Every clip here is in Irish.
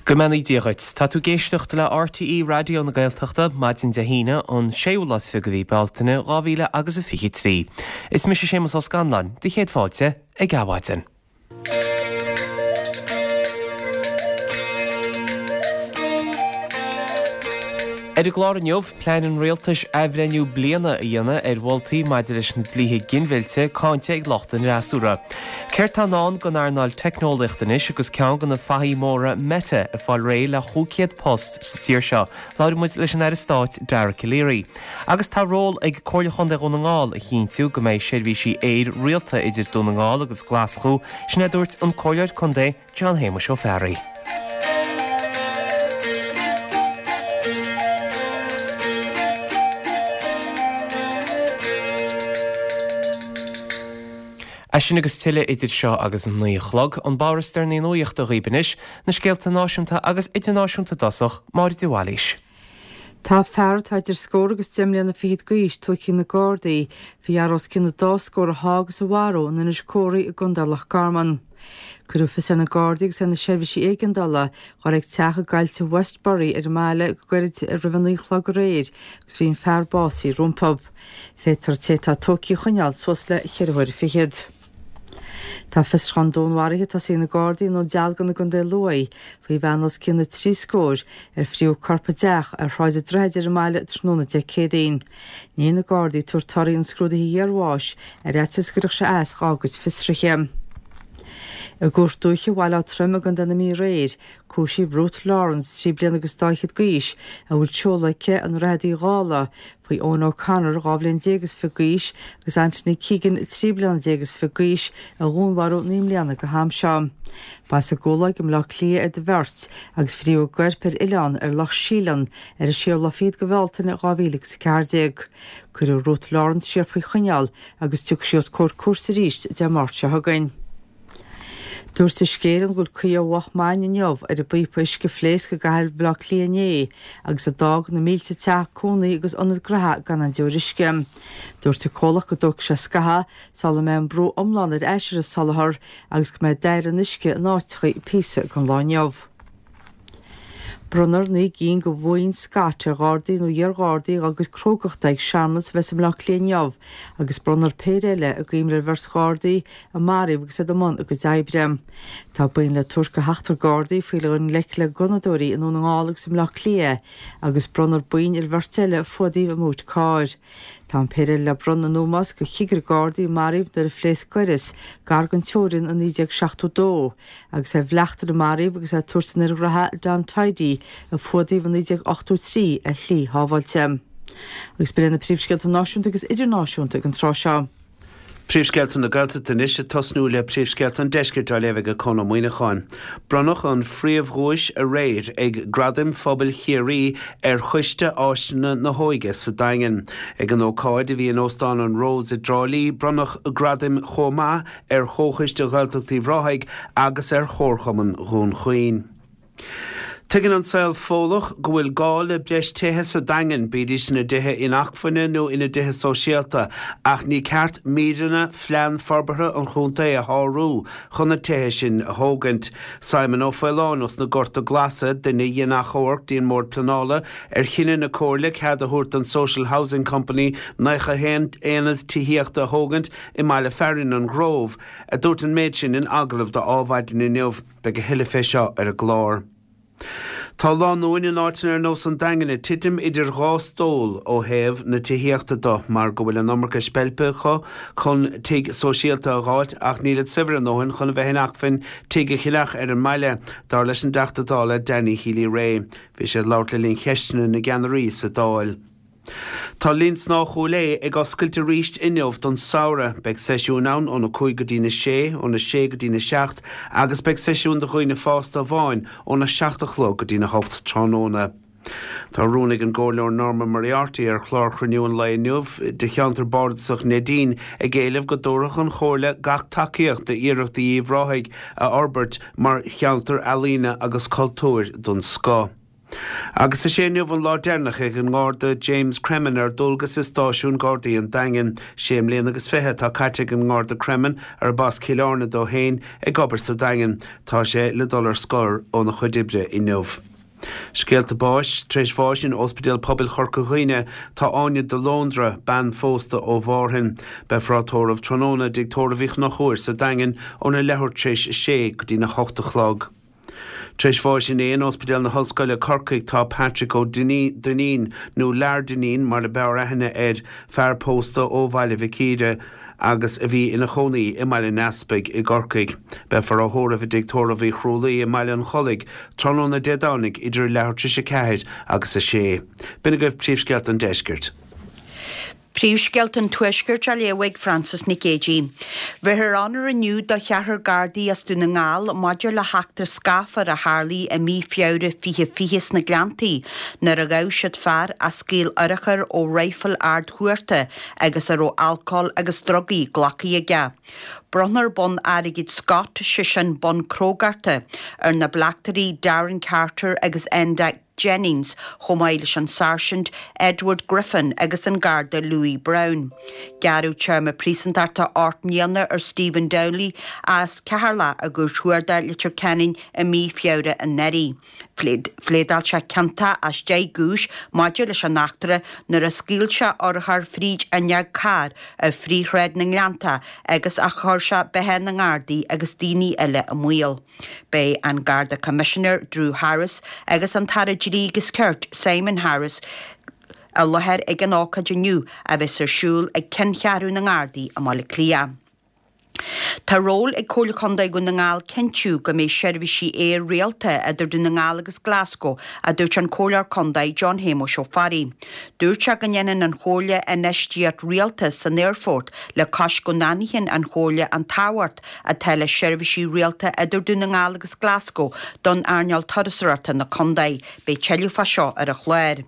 Go mbeannaí Dia dhuit. Tá tú ag éisteacht le RTÉ Raidió na Gaeltachta, maidin Dé hAoine, an séú lá is 20 de mhí Bealtaine, 2000 agus a 23. Is mise Séamus Ó Scanláin, do chéad fáilte ag Adhmhaidin. Ar an gclár inniu, plean an Rialtais athbhreithniú bliana a dhéanamh ar mholtaí maidir leis na dlíthe ginmhillte cáinte ag lucht an fhreasúra. Céard tá i ndán don earnáil teicneolaíochta anois agus ceann de na fathaigh mhóra Meta ag fáil réidh le 500 post sa tír seo? Labhróidh muid leis an Aire Stáit Dara Calleary. Agus tá ról ag Comhairle Chontae Dhún na nGall a chinntiú go mbeidh seirbhísí aeir rialta idir Dún na nGall agus Glaschú, sin a dúirt an Comhairleoir Contae John Shéamuis Ó Fearraigh. É sin agus tuilleadh idir seo agus an 9 a chlog. An barr is deireanaí nuachta dhaoib anois, na scéalta náisiúnta agus idirnáisiúnta i dtosach, Máire de Bhailís. Tá fear atá idir scór agus deich mbliana fichead d'aois tógtha ag na Gardaí faoi fhear os cionn an dá scór a shá agus a mharú in Inis Córthaidh i gContae Loch Garman. Cuireadh fios ar na Gardaí agus ar na seirbhísí éigeandála dhul ag teach i gcoillte Westbury ar an mbaile go gairid roimh a 9 a chlog aréir agus bhí an fear básaithe rompu. Féadfar an té atá tógtha a choinneáil suas le cheithre huaire fichead. Tá fiosrúchán dúnmharaithe tosaithe ag na Gardaí i nDún Dealgan i gContae Lú faoi bhean os cionn na dtrí scór ar fríothadh a corp i dteach ar Shráid an Droichid ar an mbaile tráthnóna Dé Céadaoin. Níl na Gardaí ag tabhairt torthaí an scrúdaithe iarbháis ar fhaitíos go gcuirfeadh sé as dhá gcuid fiosruithe. I gCúirt Dúiche Bhaile Átha Troim i gContae na Mí aréir, cúisíodh Ruth Lawrence, 3 bliana agus dá fhichead d'aois, a bhfuil seoladh aici i nDroichead Uí Dhálaigh, faoi Eoin O'Connor, 12 bhliain is fiche d'aois, agus Anthony Keegan, 13 bliana is fiche d'aois, a dhúnmharú 9 mbliana go ham seo. Ba as an gCualáig i mBleá Cliath iad an bheirt, agus fríothadh a gcoirp ar oileán ar Loch Síleann ar an séú lá fichead de Bhealtaine 2014. Cuireadh Ruth Lawrence siar faoi choinneáil agus tiocfaidh sí os comhair cúirte arís Dé Máirt seo chugainn. Dúirt Uisce Éireann go bhfuil caoi ar mhoch maidin inniu ar an bpíopa uisce a phléasc i gcathair Bhaile Átha Cliath inné agus a d'fhág na mílte teach cónaí agus ionad gnoithe gan aon deoir uisce. Dúirt an comhlacht go dtógfaidh sé scaitheamh sula mbeidh an brú iomlán ar ais ar an soláthar agus go mbeidh dair an uisce in áiteachaí píosa den lá inniu. Bronnfar 9 gcinn de bhoinn Scott ar Ghardaí nó iar-Ghardaí dá gcuid crógachta ag searmanas a bheas i mBleá Cliath inniu agus bronnfar péire eile i gcuimhne ar bheirt Ghardaí a maraíodh agus iad i mbun a gcuid oibre. Tá boinn le tabhairt do sheachtar Gardaí faoi dhul i ngleic le gunnadóirí i nDún na nGall agus i mBleá Cliath agus bronnfar boinn ar bheirt eile a fuadaíodh i mboot cairr. Tá an péire eile le bronnadh in ómós do chigire Gardaí a maraíodh nuair a phléasc gaireas gar don teorainn i 1972. agus ar bhleachtaire a maraíodh agus é ag tabhairt an fhir ghraithe Don Tidey a fuadaíodh i 1983 ar shlí shábháilte. Agus b'in iad na príomhscéalta náisiúnta agus idirnáisiúnta ag an tráth seo. Príomhscéalta na Gaeltachta anois, ag tosnú le príomhscéalta an Deiscirt á léamh ag Conn Ó Muíneacháin. Bronnadh an phríomhdhuais aréir ag Gradaim Phobail Chiarraí ar Choiste Áiseanna na hÓige sa Daingean. Ag an ócáid a bhí in Óstán an Rose i dTrá Lí, bronnadh gradaim chomh maith ar Chomhchoiste Ghaeltacht Uíbh Ráthaigh agus ar Chomharchumann Dhún Chaoin. Tuigeann an saol Fódhlach go bhfuil gá le breis tithe sa Daingean, bídís ina dtithe inacmhainne nó ina dtithe sóisialta, ach ní ceart míreanna phlean forbartha an chontae a shárú chun na tithe sin a thógaint. Simon Ó Faoláin ós na Gorta Glasa, duine a dhein achomharc dtí an mBord Pleanála ar chinneadh na Comhairle cead a thabhairt don Social Housing Company 91 aonad tithíochta a thógaint i mbaile fearainn an Ghrove, a dúirt an méid sin in agallamh do Adhmhaidin inniu. Beidh a thuilleadh fé seo ar an gclár. Tá lánúin in áiteanna ar nós an Daingin ag titim idir dhá stól ó thaobh na tithíochta do mar go bhfuil an iomarca speilpe acu chun tigh sóisialta a dh'fháilt ach nílid saibhir a ndóthain chun a bheith in acmhainn tigh a cheannach ar an mbaile, dar leis an dTeachta Dála Danny Healy-Rae. Bhí sé ag labhairt le linn cheisteanna na gceannairí sa Dáil. Tá Linn Snámha Chúil Aodha ag oscailt arís inniu don samhradh. Beidh seisiúin ann óna 5 go dtína 6, óna 6 go dtína 7 agus beidh seisiún do dhaoine fásta amháin óna 7 a chlog go dtína 8 tráthnóna. Tá rún ag an gComhairleoir Norma Moriarty ar chlár chruinniú an lae inniu de cheantar bardasach Neidín ag éileamh go dtabharfadh an Chomhairle gach tacaíocht d'iarrachtaí Uíbh Ráthaigh a fhorbairt mar cheantar ealaíne agus cultúir den scoth. Agus is é inniu an lá deireanach ag an nGarda James Cremin ar dualgas i Stáisiún Gardaí an Daingin. Sé mbliana agus 20 atá caite ag an nGarda Cremin, arb as Cill Airne dó féin, ag obair sa Daingean. Tá sé le dul ar scor óna chuid oibre inniu. Scéalta báis, Tar éis bháis in Ospidéal Pobail Chorca Dhuibhne tá Áine de Lóndra, bean phósta ó Mhárthain. Beifear á tórramh tráthnóna i dTigh Tórraimh Uí Chonchúir sa Daingean óna leathuair tar éis a sé go dtína hocht a chlog. Tar éis bháis inné in Ospidéal na hOllscoile, Corcaigh, tá Patrick Ó Duinnín, nó Lear Dineen mar a b'fhearr aithne air, fear pósta ó Bhaile Mhic Íre agus a bhí ina chónaí i mBaile an Easpaig i gCorcaigh. Beifear á thórramh i dTigh Tórraimh Uí Chrualaoi i mBaile an Chollaigh tráthnóna Dé Domhnaigh idir a leathuair tar éis 4 agus 6. B'in agaibh príomhscéalta an deiscirt. Príomhscéalta an Tuaiscirt á léamh ag Frances Nic Géadaigh. Bhéarfar onóir inniu do cheathrar Gardaí as Dún na nGall maidir le heachtra scáfar a tharlaigh i mí Feabhra 2020 sna Gleanntaí nuair a ghabh siad fear a scaoil urchar ó raidhfil ardchuarta agus a raibh alcól agus drugaí glactha aige. Bronnfar bonn airgid Scott, sé sin bonn crógachta, ar na bleachtairí Darren Carter agus Enda Jennings chomh maith leis an Sáirsint Edward Griffin agus an Garda Louis Browne. Gearradh téarma príosúntachta 8 mbliana ar Stephen Dowley as Ceatharlach i gCúirt Chuarda Leitir Ceanainn i mí Feabhra anuraidh. Phléadáil sé ciontach as 10 gcúis maidir leis an eachtra nuair a scaoil sé urchar fríd fhuinneog cairr ar Phríomhshráid na nGleanntach agus a chuir sé beatha na nGardaí agus daoine eile i mbaol. Beidh an Garda Coimisinéir Drew Harris agus an tAire Dlí agus Cirt Simon Harris i láthair ag an ócáid inniu a bheas ar siúl ag Ceanncheathrú na nGardaí i mBaile Átha Cliath. Tá ról ag Comhairle Contae Dhún na nGall cinntiú go mbeidh seirbhísí aeir rialta idir Dún na nGall agus Glasgow, a dúirt an Comhairleoir Contae John Shéamuis Ó Fearraigh. Dúirt sé go ndéanann an Chomhairle infheistíocht rialta san aerfort le cois go n-aithníonn an Chomhairle an tábhacht atá le seirbhísí rialta idir Dún na nGall agus Glasgow don earnáil turasóireachta na contae. Beidh tuilleadh fá seo ar an chlár.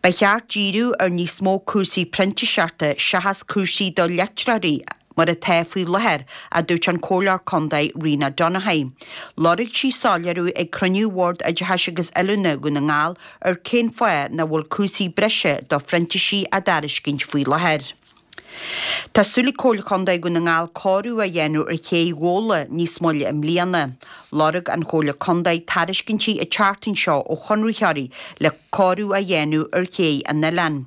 Ba cheart díriú ar níos mó cúrsaí printíseachta seachas cúrsaí do leictreoirí mar atá faoi láthair, a dúirt an Comhairleoir Contae Rena Donaghey. Lorg sí soiléiriú ag cruinniú Bhord Oideachais agus Oiliúna Dhún na nGall ar cén fáth nach bhfuil cúrsaí breise do phrintísigh á dtairiscint faoi láthair. Tá súil ag Comhairle Chontae Dhún na nGall cóiriú a dhéanamh ar ché Ghabhla níos moille i mbliana. Lorg an Chomhairle Contae tairiscintí an tseachtain seo ó chonraitheoirí le cóiriú a dhéanamh ar ché an oileáin.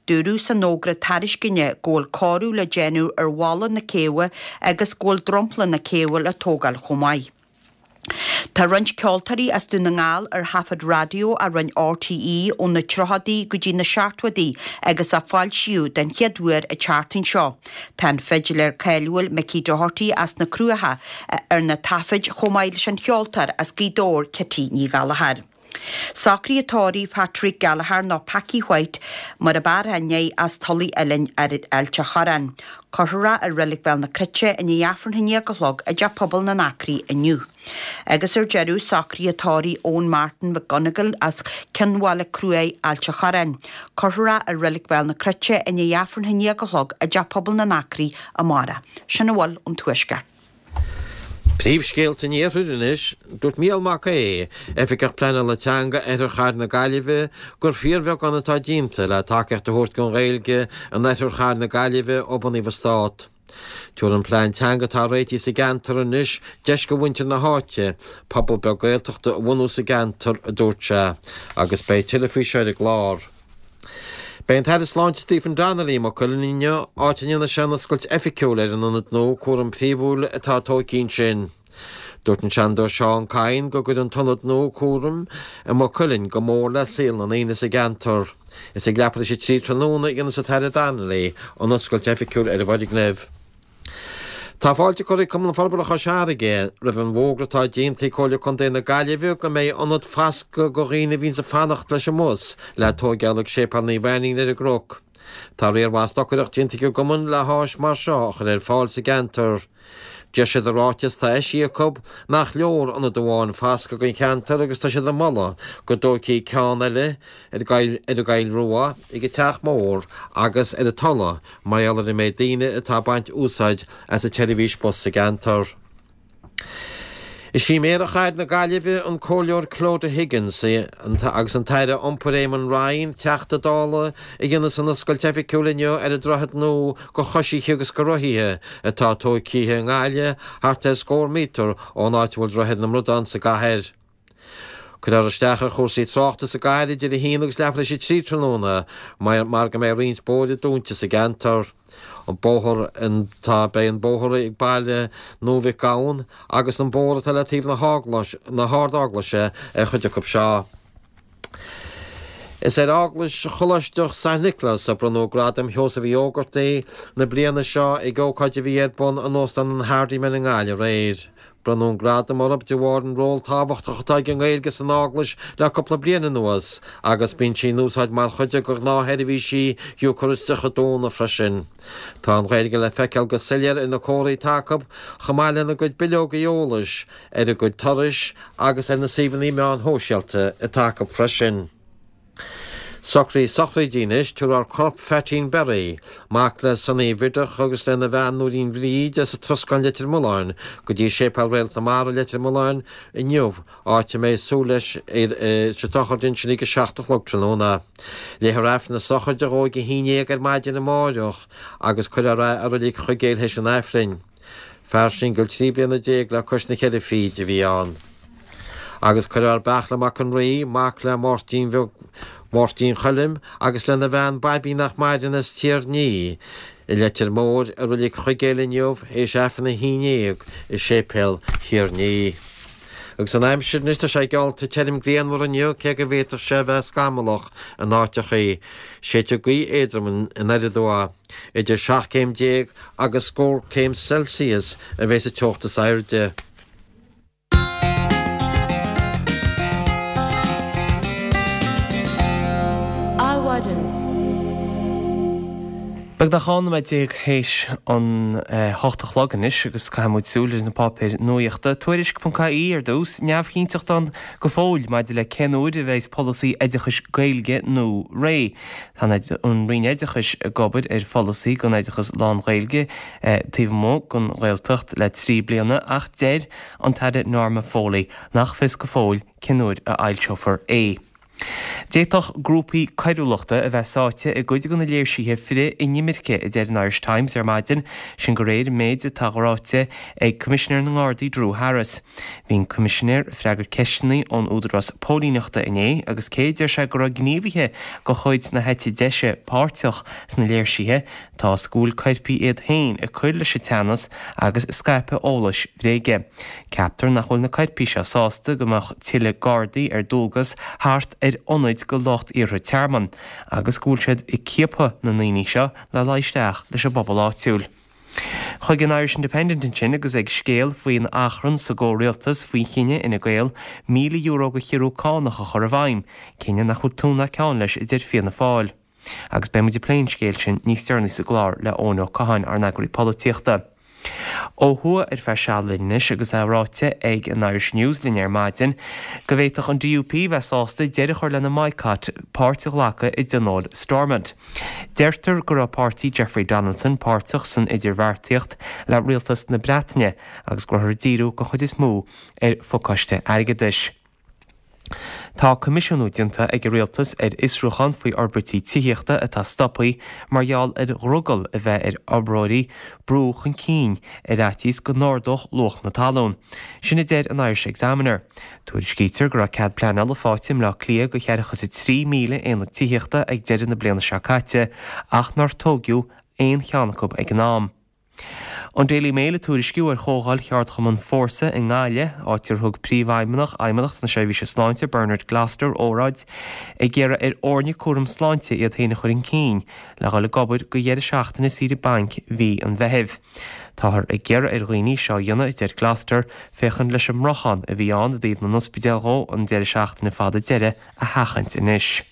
Dúradh san fhógra tairisceana go bhfuil cóiriú le déanamh ar bhalla na céibhe agus go bhfuil dromchla na céibhe le tógáil chomh maith. Tá roinnt ceoltóirí as Dún na nGall ar thaifead raidió a rinne RTÉ ó na tríochaidí go dtí na seachtóidí agus a foilsíodh den chéad uair an tseachtain seo. Tá an fidiléir cáiliúil Mickey Doherty as na Cruacha ar na taifid chomh maith leis an cheoltóir as Gaoth Dobhair Kitty Ní Ghallchóir. Socruithe tórraimh Patrick Gallagher nó Packie White mar ab fhearr aithne air as Tulaigh Uilinn ar Ailt a' Chorráin. Cuirfear é i Reilig Bhéal na Cruite i ndiaidh Aifreann a haon déag a chlog i dTeach Pobail na nAcraí inniu. Agus ar deireadh, socruithe tórraimh Eoin Martin McGonigle as Cionn Bhaile Cruaidh, Ailt a' Chorráin. Cuirfear é i Reilig Bhéal na Cruite i ndiaidh Aifreann a haon déag a chlog i dTeach Pobail na nAcraí amárach. Sin a bhfuil ón Tuaisceart. Príomhscéalta an Iarthair anois. Dúirt Mícheál Mac Aodha, Oifigeach Pleanála Teanga Oirthear Chathair na Gaillimhe, gur fíorbheagán atá déanta le tacaíocht a thabhairt don Ghaeilge in Oirthear Chathair na Gaillimhe ó bunaíodh an Stát. Tabharfaidh an plean teanga atá réitithe sa gceantar anois deis do mhuintir na háite pobal beag Gaeltachta a bhunú sa gceantar, a dúirt sé, agus beidh tuilleadh faoi seo ar an gclár. Beidh an tAire Sláinte Stephen Donnelly i Maigh Cuilinn inniu, áit a ndéanfaidh sé an oscailt oifigiúil ar an ionad nua cúraim phríomhúil atá tógtha ansin. Dúirt an Seanadóir Seán Kyne go gcuirfidh an t-ionad nua cúraim i Maigh Cuilinn go mór le saol na ndaoine sa gceantar. Is ag leathuair tar éis a 3 tráthnóna a dhéanfas an tAire Donnelly an oscailt oifigiúil ar an bhfoirgneamh. Tá fáilte curtha ag Cumann Forbartha Chois Fharraige roimh an bhfógra atá déanta ag Comhairle Contae na Gaillimhe go mbeidh ionad foscaidh do dhaoine a bhíonns ag fanacht leis an mbus le tóigeáil ag Séipéal Naomh Ainnín ar an gCnoc. Tá riar mhaith stocaireacht déanta ag an gcumann le háis mar seo a chur ar fáil sa gceantar. Deir siad i ráiteas atá eisithe acu nach leor ionad amháin foscaidh don cheantar agus tá siad ag moladh go dtógfaí ceann eile ar an gCoill Rua, ag an Teach Mór agus ar an Tulaigh mar gheall ar an méid daoine atá ag baint úsáid as an tseirbhís bus sa gceantar. Is í Méara Chathair na Gaillimhe, an Comhairleoir Clodagh Higgins, agus an tAire Iompair Eamon Ryan, Teachta Dála, a dhéanfas an oscailt oifigiúil inniu ar an droichead nua go choisithe agus go rothaithe atá tógtha i nGaillimh thart ar scór míotar ón áit a bhfuil Droichead na mBradán sa gcathair. Cuirfear isteach ar chúrsaí tráchta sa gcathair idir 1 agus leathuair tar éis 3 tráthnóna mar go mbeidh roinnt bóithre dúnta sa gceantar. An bóthar atá, beidh an bóthar ag Baile Nua Mhic Gabhann agus an bóthar atá le taobh na hArd-Eaglaise ar chuid acu seo. Is ar Eaglais Choláisteach San Nioclás a bronnadh Gradam Sheosaimh Uí Ógartaigh na bliana seo ag ócáid a bhí ar bun in Óstán an Hardiman i nGaillimh aréir. Bronnadh an gradam orthu de bharr an ról tábhachtach atá ag an nGaeilge san Eaglais le cúpla bliain anuas agus bíonn sí in úsáid mar chuid de ghnáthsheirbhísí Eocairisteacha dúnadh freisin. Tá an Ghaeilge le feiceáil go soiléir ar na comharthaí atá acu chomh maith lena gcuid bileogaí eolais, ar a gcuid turais agus ar na suíomhanna meáin shóisialta atá acu freisin. Socruithe sochraide anois, tabharfar corp Pheaitín Berry, mac le Sonaí Bhideach agus lena bhean Nóirín Bhríd as an Troscán Leitir Mealláin, go dtí Séipéal Réalt na Mara, Leitir Mealláin, inniu, áit a mbeidh súil leis sa tsochraid ansin ag a 7 a chlog tráthnóna. Léifear Aifreann na sochraide dhó ag a 11 ar maidin amáireach agus cuirfear é i reilig Chuigéil théis an Aifrinn. Fear singil 13 bliana le cois na ceithre fichid a bhí ann. Agus cuirfear Beartla Mac an Rí, mac le Máirtín Bheag Mháirtín Choilm agus lena bhean Baibí nach maireann as Tír an Fhia i Leitir Móir i Reilig Chuigéil inniu théis Aifreann a haon dhéag i Séipéal Thír an Fhia. Agus an aimsir anois tá sé geallta tirim grianmhar inniu cé go bhféadfadh sé a bheith scamallach in áiteachaí. Séidfidh gaoth éadrom anoir aduaidh. Idir 17 céim agus scór céim Celsius a bheidh sa teocht is airde. Adhmhaidin. Beagnach 12 nóiméad théis an 8 a chlog anois agus caithfidh muid súil ar na páipéir nuaíochta. Tuairisc.ie ar dtús, neamhchinnteacht ann go fóill maidir le cén uair a bheas polasaí oideachais Gaeilge nua réidh. Tá an Roinn Oideachais ag obair ar pholasaí don oideachas lán-Ghaeilge taobh amuigh den Ghaeltacht le 3 bliana ach deir an tAire Norma Foley nach fios go fóill cén uair a fhoilseofar é. D'fhéadfadh grúpaí coiriúlachta a bheith sáite i gcuid de na léirsithe frith-inimirce, a deir an Irish Times ar maidin, sin de réir an méid atá ráite ag Coimisinéir na nGardaí Drew Harris. Bhí an Coimisinéir ag freagairt ceisteanna ón Údarás Póilíneachta inné agus cé a deir sé go raibh gníomhaithe de chuid na heite deise páirteach sna léirsithe, tá a fhios go bhfuil coirpigh iad féin ag cur leis an teannas agus ag scaipeadh eolais bhréige. Ceaptar nach bhfuil na coirpigh seo sásta go mbeadh tuilleadh Gardaí ar dualgas thart ar ionaid do lucht iarrtha tearmann agus go bhfuil siad ag ciapadh na ndaoine seo le luí isteach leis an bpobal áitiúil. Chuig an Irish Independent ansin agus ag scéal faoin achrann sa gcomhrialtas faoi chinneadh Fhine Gael €1,000 de chiorrú cánach a chur i bhfeidhm, cinneadh nach bhfuil tún ná ceann leis a deir Fianna Fáil. Agus beidh muid ag plé an scéil sin níos deireanaí sa gclár le Eoin Ó Catháin, ár n-eagraí polaitíochta. Ó thuaidh ar feadh seal linn anois agus é ráite ag an Irish News linn ar maidin go bhféadfadh an DUP bheith sásta deireadh a chur lena mbaghcat páirt a ghlacadh i dtionól Stormont. Deirtear go raibh páirtí Jeffrey Donaldson páirteach san idirbheartaíocht le rialtas na Breataine agus go rabhthar ag díriú den chuid is mó ar phacáiste airgeadais. Tá coimisiúnú déanta ag an Rialtas ar fhiosrúchán faoi fhorbairtí tithíochta atá stoptha mar gheall ar dhrogall a bheith ar fhorbróirí brú chun cinn ar fhaitíos go n-ardódh luach na talún. Sin a deir an Irish Examiner. Tuairiscítear go raibh cead pleanála faighte i mBleá Cliath do cheathracha is 3,000 aonad tithíochta ag deireadh na bliana seo caite ach nár tóigeadh aon cheann acu ag an am. An Daily Mail ag tuairisciú ar chomhdháil cheardchumann Fórsa i nGaillimh, áit ar thug Príomhfheidhmeannach Fheidhmeannacht na Seirbhíse Sláinte, Bernard Gloster, óráid ag iarraidh ar fhoirne cúram sláinte iad féin a chur chun cinn le dhul ag obair do dheireadh seachtaine saoire bainc mhí an Mheithimh. Táthar ag iarraidh ar dhaoine seo a dhéanamh, a deir Gloster, féachaint leis an mbriochán a bhí ann i dtaobh na n-ospidéal dhó an deireadh seachtaine fada deiridh a sheachaint anois.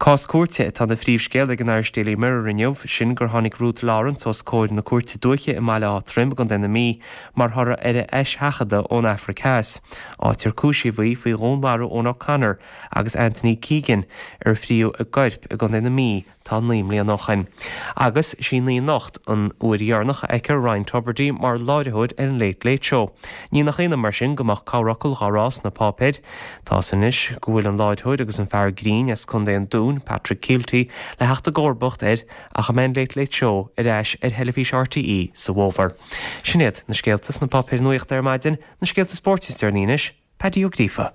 Cás cúirte atá ina phríomhscéal ag an Irish Daily Mirror inniu, sin gur tháinig Ruth Lawrence os comhair na cúirte dúiche i mBaile Átha Troim i gContae na Mí mar thoradh ar a heiseachadadh ón Afraic Theas, áit ar cúisíodh í faoi dhúnmharú Eoin O'Connor agus Anthony Keegan ar fríodh a gcoirp i gContae na Mí. Tá 9 mbliana ó shoin. Agus sí 9 anocht an uair dheireanach a fheicfear Ryan Tubridy mar láithreoir ar an Late Late Show. Ní nach ionadh mar sin go mbeadh corrfhocal dhá rá sna páipéir. Tá 's anois go bhfuil an láithreoir agus an fear grinn as Contae an Dúin, Patrick Kielty, le theacht i gcomharbacht air ach a mbeidh an Late Late Show ar ais ar theilifís RTÉ sa bhfómhar. Sin iad na scéalta sna páipéir nuachta ar maidin, na scéalta spóirt is deireanaí anois, Paddy Ó Gríofa.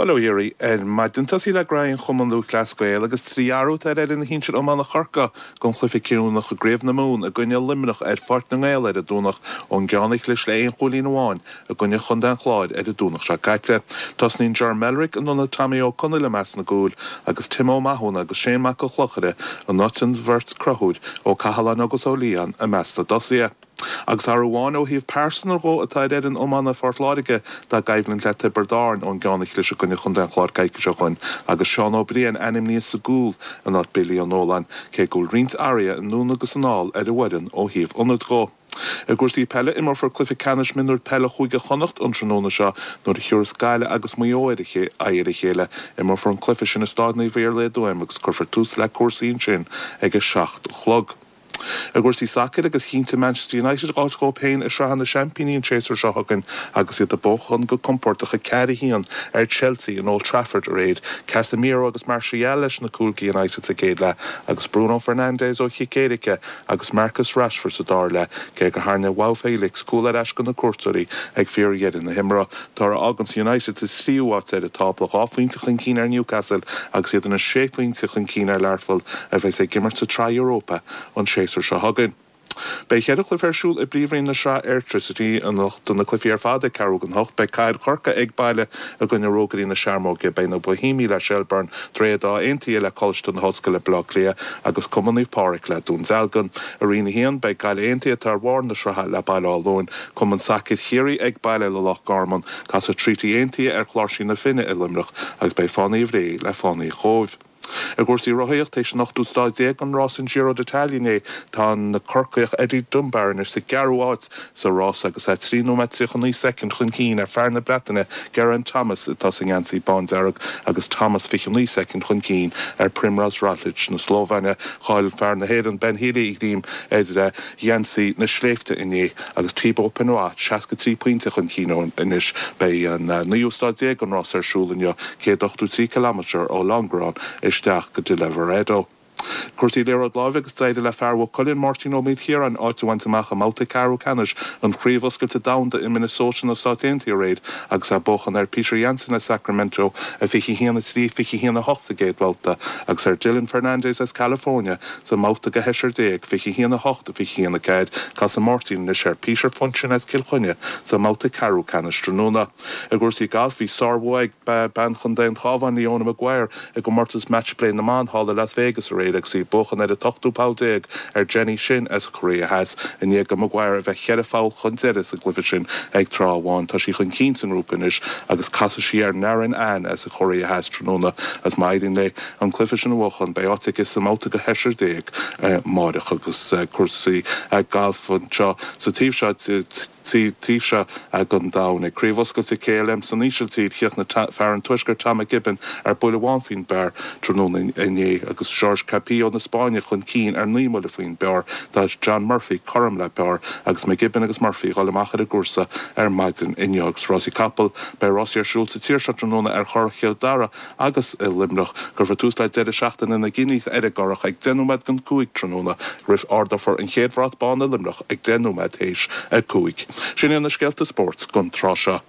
Bail ó Dhia oraibh ar maidin. Tosaí le Graithe an Chumann Lúthchleas Gael agus 3 athrú atá ar fhoireann shinsir iomána Chorcaí don chluiche cinniúnach i gCraobh na Mumhan i gcoinne Luimneach ar Pháirc na nGael ar an Domhnach ón gceann a chlis le aon chúilín amháin i gcoinne Chontae an Chláir ar an Domhnach seo caite. Tosnaíonn Ger Mellerick in ionad Tommy Ó Conaill i measc na gcúil agus Tim Ó Mathúna agus Shane Mac an Chlochaire in áit an bheirt Conchúir Ó Cathaláin agus Ó Liatháin i measc na dtosaithe. Agus athrú amháin ó thaobh pearsanra dhó atá ar fhoireann iomána Phort Láirge dá gcoimhlint le Tiobraid Árann ón gceann a chlis i gcoinne Chontae an Chláir coicís ó shoin agus Seán Ó Briain ainmnithe sa gcúl in áit Billy Ó Nualláin, cé go bhfuil roinnt athruithe anonn agus anall ar an bhfoireann ó thaobh ionaid dhó. I gcúrsaí peile, imreofar cluiche ceannais mionúir peile Chúige Chonnacht an tráthnóna seo nuair a thiúrfas Gaillimh agus Maigh Eo aghaidh ar a chéile. Imreofar an cluiche sin i Stáid Naomh Iarlaith i dTuaim agus cuirfear tús le cúrsaí ansin ag a 7 a chlog. I gcúrsaí sacair agus chinntigh Manchester United áit dhóibh féin i Sraith na Seaimpíní an séasúr seo chugainn agus iad ag buachan go compordach 4-1 ar Chelsea in Old Trafford aréir. Casemiro agus Martial leis na cúil do United sa gcéad leath agus Bruno Fernandes ó chic éirice agus Marcus Rashford sa dara leath, cé gur tharraing João Felix cúl ar ais do na cuairteoirí ag fíordheireadh na himeartha. Toradh a fháganns United sa tríú háit ar an tábla, 2 phointe chun cinn ar Newcastle agus iad anois sé phointe chun cinn ar Learpholl a bheas ag imirt sa tSraith Europa an séasúr seo chugainn. Beidh cheithre chluiche ar siúl i bPríomhroinn na Sraithe Airtricity anocht, na cluichí ar fad ag ceathrú don hocht. Beidh Cathair Chorcaí ag baile i gcoinne Rógairí na Searmóige, beidh na Boihéamaigh le Shelbourne, Droichead Átha Aontaithe le Coláiste na hOllscoile Baile Átha Cliath agus Cumann Naomh Pádraig le Dún Dealgan. I Roinn 1, beidh Gaillimh Aontaithe atá ar bharr na sraithe le Baile Átha Luain, Cumann Sacair Chiarraí ag baile le Loch Garman, casfaidh Treaty Aontaithe ar Chláirsí na Finne i Luimneach agus beidh Fánaithe Bhré le Fánaithe an Chóibh. I gcúrsaí rothaíocht, théis an ochtú stáid déag den rás an Giro d'Italia inné, tá an Corcaíoch Eddie Dunbar anois sa gceathrú háit sa rás agus é 3 nóiméad 39 soicind chun cinn ar fear na Breataine Geraint Thomas atá sa ngeansaí bándearg agus Thomas 29 soicind chun cinn ar Primož Roglič na Slóivéine. Chaill fear na hÉireann Ben Healy a ghreim ar gheansaí na sléibhte inné agus Thibaut Pinot 63 pointe chun cinn anois. Beidh an naoú stáid déag den rás ar siúl inniu, 183 kilometre ó Longarone isteach go dtí Lavaredo. Cúrsaí liathróid láimhe agus d'éirigh le fear Mhaigh Cuilinn, Máirtín Ó Maoilchiaráin, áit a bhaint amach i mbabhta ceathrú ceannais an Chraobh Oscailte Domhanda i Minnesota na Stáit Aontaithe aréir agus é ag buachan ar Peter Janson as Sacramento, 21 3, 21 8 sa gcéad bhabhta agus ar Dylan Fernandes as California Sa mbabhta do sheisear déag, 21 8, 21 4, casfaidh Máirtín anois ar Peter Funchion as Cill Chainnigh sa mbabhta ceathrú ceannais tráthnóna. I gcúrsaí gailf, bhí sárbhua ag bean chontae an Chabháin, Leona Maguire, i gcomórtas Match Play na mban thall i Las Vegas aréir agus í ag buachan ar an t-ochtú poll déag ar Jenny Shin as Korea Theas i ndiaidh do Maguire a bheith cheithre pholl chun deiridh sa gcluiche sin ag tráth amháin. Tá sí chun cinn sa ngrúpa anois agus casfaidh sí ar Narin An as an Chóiré Theas tráthnóna agus má éiríonn léi an cluiche sin a bhuachan, beidh áit aici sa mbabhta do sheisear déag amáireach agus cúrsaí gailf anseo sa taobh seo taobh seo den domhan. Ag Craobh Oscailte KLM san Ísiltír, chríochnaigh fear an Tuaiscirt Tom McKibbin ar buille amháin faoin bpar tráthnóna inné agus George Capillo na Spáinne chun cinn ar 9 mbuille faoin bpar. Tá John Murphy cothrom le par agus McGibbon agus Murphy ag dul amach ar an gcúrsa ar maidin inniu. Agus rásaí capall, beidh rásaí ar siúl sa tír seo tráthnóna ar Churrach Chill Dara agus i Luimneach. Cuirfear tús le deireadh seachtaine na gCinní ar an gCurrach ag 10 nóiméad don 5 tráthnóna roimh ardófar an chéad bhrat bán i Luimneach ag 10 nóiméad théis 5. Sin iad na scéalta spóirt don tráth seo.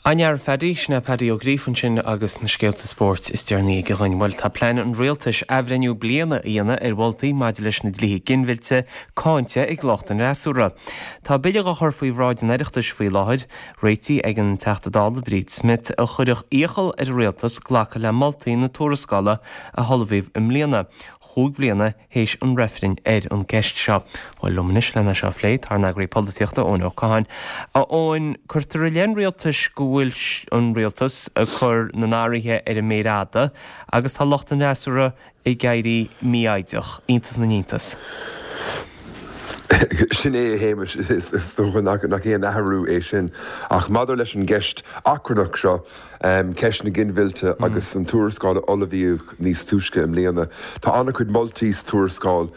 An-fhear, Phaddy. Sin é Paddy Ó Gríofa ansin agus na scéalta spóirt is deireanaí aige dhuinn. Bhuel, tá plean an rialtais athbhreithniú bliana a dhéanamh ar mholtaí maidir leis na dlíthe ginmhillte cáinte ag lucht an fhreasúra. Tá bille á chur faoi bhráid an Oireachtais faoi láthair, réitithe ag an Teachta Dála Bríd Smith, a chuirfeadh iachall ar an rialtas glacadh le moltaí na tuarascála a hullmhaíodh i mbliana, chúig bhliana théis an reifrinn ar an gceist seo. Bhuel, liom anois lena seo a phlé, tá ár n-eagraí polaitíochta, Eoin Ó Catháin. A Eoin, cuirtear i leith an rialtais go bhfuil an rialtas ag cur na n-athruithe ar an méar fhada agus tá lucht an fhreasúra ag éirí mífhoighdeach. Iontas na n-iontas. Sin é, a Shéamais, is dócha nach aon athrú é sin. Ach maidir leis an gceist achrannach seo, ceist na ginmhillte agus an tuarascáil a ullmhaíodh níos túisce i mbliana, tá an-chuid moltaí sa tuarascáil,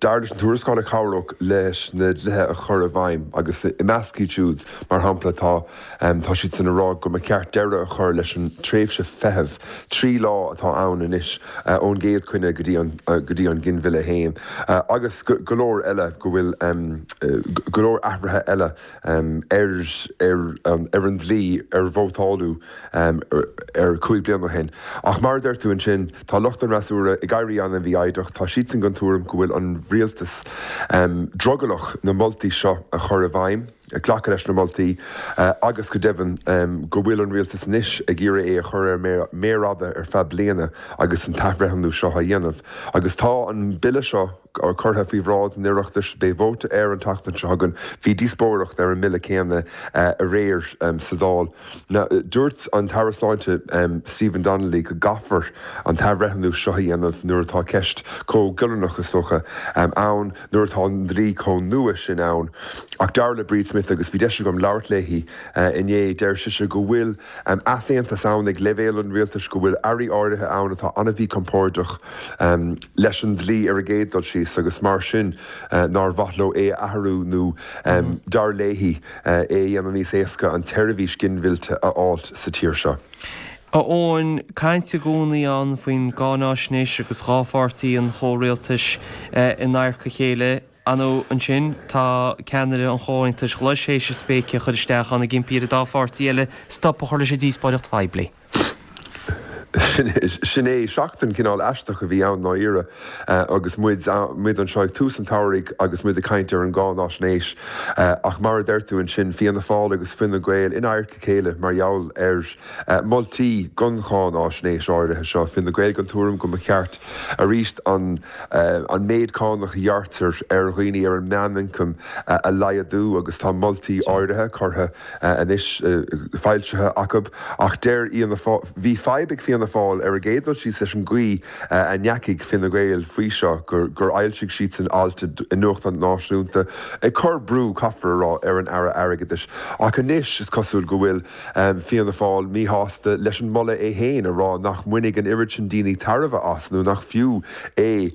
dar leis an tuarascáil, a chabhródh leis na dlíthe a chur i bhfeidhm agus i measc iad siúd, mar shampla, tá tá siadsan ag rá go mba cheart deireadh a chur leis an tréimhse feithimh 3 lá atá ann anois ón gcéad choinne go dtí an go dtí an ginmhilleadh féin agus go leor eile go bhfuil go leor athruithe eile ar ar an dlí ar vótáladh air 5 bliana ó shin. Ach mar a deir tú ansin, tá lucht an fhreasúra ag éirí an-mhífhoighdeach. Tá siadsan den tuairim go bhfuil an rialtas drogallach na moltaí seo a chur i bhfeidhm, glacadh leis na moltaí agus go deimhin go bhfuil an rialtas anois ag iarraidh é a chur ar méar fhada ar feadh bliana agus an t-athbhreithniú seo á dhéanamh. Agus tá an bille seo. curtha faoi bhráid an Oireachtais. Beidh vóta air an tseachtain seo chugainn. Bhí díospóireacht ar an mbille céanna aréir sa Dáil. Dúirt an tAire Sláinte Stephen Donnelly go gcaithfear an t-athbhreithniú seo a dhéanamh nuair atá ceist chomh giollarnach, is dócha, ann, nuair atá an dlí chomh nua sin ann. Ach dar le Bríd Smith, agus bhí deis agam labhairt léi inné, deir sise go bhfuil easaontas ann ag leibhéal an rialtais, go bhfuil airí áirithe ann atá an-mhíchompordach leis an dlí ar an gcéad dul síos agus mar sin nár mhaith leo é a athrú nó, dar léi, é a dhéanamh níos éasca an tseirbhís ginmhillte a fháilt sa tír seo. A Eoin, caint i gcónaí ann faoin gcáináisnéis agus dhá pháirtí an chomhrialtais in adharca a chéile. Ar ndóigh ansin tá ceannaire an Chomhaontais Ghlais théis a spéice a chur isteach ann ag impí ar an dá pháirtí eile stop a chur leis an díospóireacht phoiblí. Sin é, seachtain cineál aisteach a bhí ann ndáiríre agus muid muid anseo ag tús an tsamhraidh agus muid ag caint ar an gcáináisnéis ach mar a deir tú ansin, Fianna Fáil agus Fine Gael in adharca a chéile mar gheall ar mholtaí don cháináisnéis áirithe seo. Fine Gael den tuairim go mba cheart arís an an méid cánach a ghearrtar ar dhaoine ar an meánioncam a laghdú agus tá moltaí áirithe curtha anois, foilsithe acu. Ach deir Fhianna Fáil, bhí fadhb ag Fianna Fáil ar an gcéad dul síos leis an gcaoi a ndeachaigh Fine Gael faoi seo, gur fhoilsigh siadsan alt i nuachtán náisiúnta ag cur brú, caithfear a rá, ar an Aire Airgeadais. Ach anois is cosúil go bhfuil Fianna Fáil míshásta leis an moladh é féin, a rá nach mbainfidh an oiread sin daoine tairbhe as nó nach fiú é.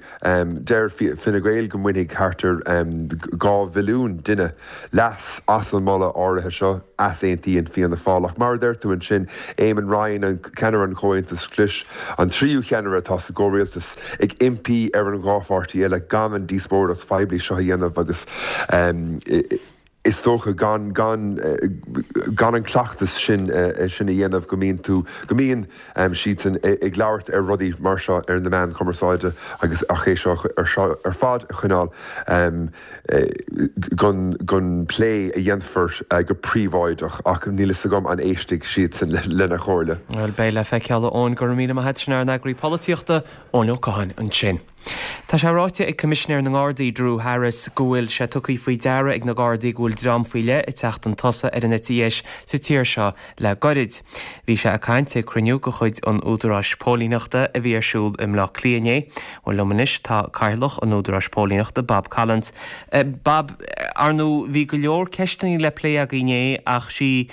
Deir Fine Gael go mbainfidh thart ar 2 mhilliún duine leas as an moladh áirithe seo. Easaontaíonn Fianna Fáil. Ach mar a deir tú ansin, Eamon Ryan, ceannaire an Chomhaontais Ghlais, an tríú cheannaire atá sa gcomhrialtas, ag impí ar an dhá pháirtí eile gan an díospóireacht phoiblí seo a dhéanamh agus is dócha gan gan gan an cleachtas sin sin a dhéanamh go mbíonn tú go mbíonn siadsan ag labhairt ar rudaí mar seo ar na meáin chumarsáide agus ach é seo ar seo ar fad a choinneáil don don plé a dhéanfar go príobháideach ach níl fhios agam an éistfidh siadsan lena chomhairle. Bhuel, beidh le feiceáil a Eoin. Go raibh míle maith a't. Sin ár n-eagraí polaitíochta, Eoin Ó Catháin ansin. Tá sé ráite ag Coimisinéir na nGardaí, Drew Harris, go bhfuil sé tugtha faoi deara ag na Gardaí go bhfuil dream faoi leith ag teacht chun tosaigh ar an eite dheis sa tír seo le goirid. Bhí sé ag caint ag cruinniú de chuid an Údaráis Póilíneachta a bhí ar siúl i mBleá Cliath inné. Bhuel, liom anois tá Cathaoirleach an Údaráis Póilíneachta, Bob Collins. Bob, ar ndóigh bhí go leor ceisteanna le plé againn inné ach sí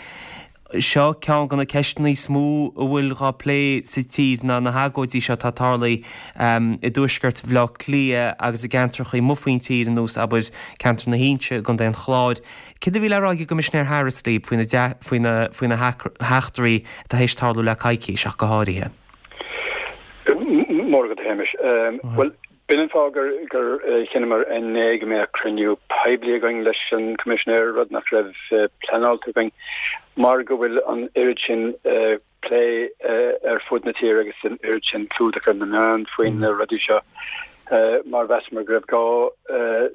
seo ceann de na ceisteanna is mó a bhfuil dhá plé sa tír ná na hagóidí seo atá tarlaithe i dtuaisceart Bhaile Átha Cliath agus i gceantracha amuigh faoin tír ar nós, abair, ceantar na hInse i gContae an Chláir. Céard a bhí le rá ag an gCoimisinéir Harris libh faoi na faoi na faoi na heachtraí atá théis tarlú le coicís ach go háirithe? Móra agat a Shéamais. Bhuel, B'in an fáth gur gur chinneamar inné go mbeadh cruinniú poiblí againn leis an Choimisinéir, rud nach raibh pleanáilte againn, mar go bhfuil an oiread sin plé ar fud na tíre agus an oiread sin clúdach ar na meáin faoi na rudaí seo, mar mheasamar go raibh gá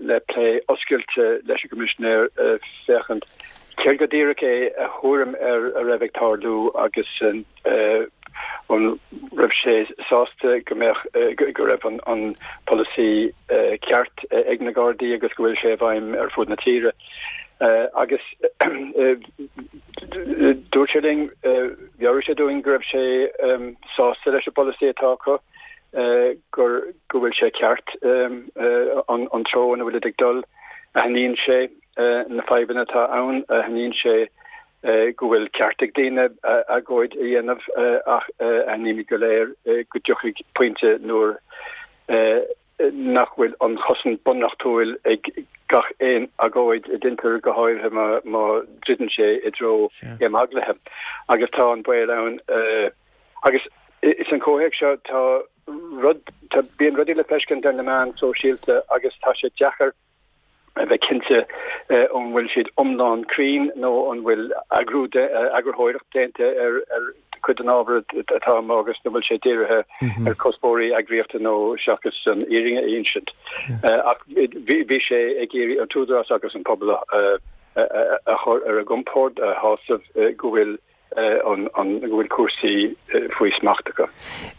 le plé oscailte leis an gCoimisinéir féachaint céard go díreach é a thuairim ar a raibh ag tarlú agus an raibh sé sásta go mbeadh, go raibh an polasaí ceart ag na Gardaí agus go bhfuil sé i bhfeidhm ar fud na tíre. Agus dúirt sé linn, mheabhraigh sé dúinn go raibh sé sásta leis an bpolasaí atá acu. gur go bhfuil sé ceart an treo ina bhfuilid ag dul. Aithníonn sé na fadhbanna atá ann, aithníonn sé go bhfuil ceart ag daoine agóid a dhéanamh ach aithnímid go léir go dtiocfaidh pointe nuair nach bhfuil an chosaint bunreachtúil ag gach aon agóid a deintear, go háirithe má dhruideann sé i dtreo imeaglaithe. Agus tá an baol ann. Agus san chomhthéacs seo tá rud, tá, bíonn rudaí le feiscint ar na meáin sóisialta agus tá sé deacair a bheith cinnte an bhfuil siad iomlán cruinn nó an bhfuil eagrú, eagarthóireacht déanta ar ar cuid den ábhar atá amuigh agus an bhfuil sé dírithe ar chuspóirí eagraíochta nó seachas an fhírinne a insint. Ach bhí sé ag iarraidh an t-údarás agus an pobal a a chur ar a gcompord, a shásamh go bhfuil an go bhfuil cúrsaí faoi smacht acu.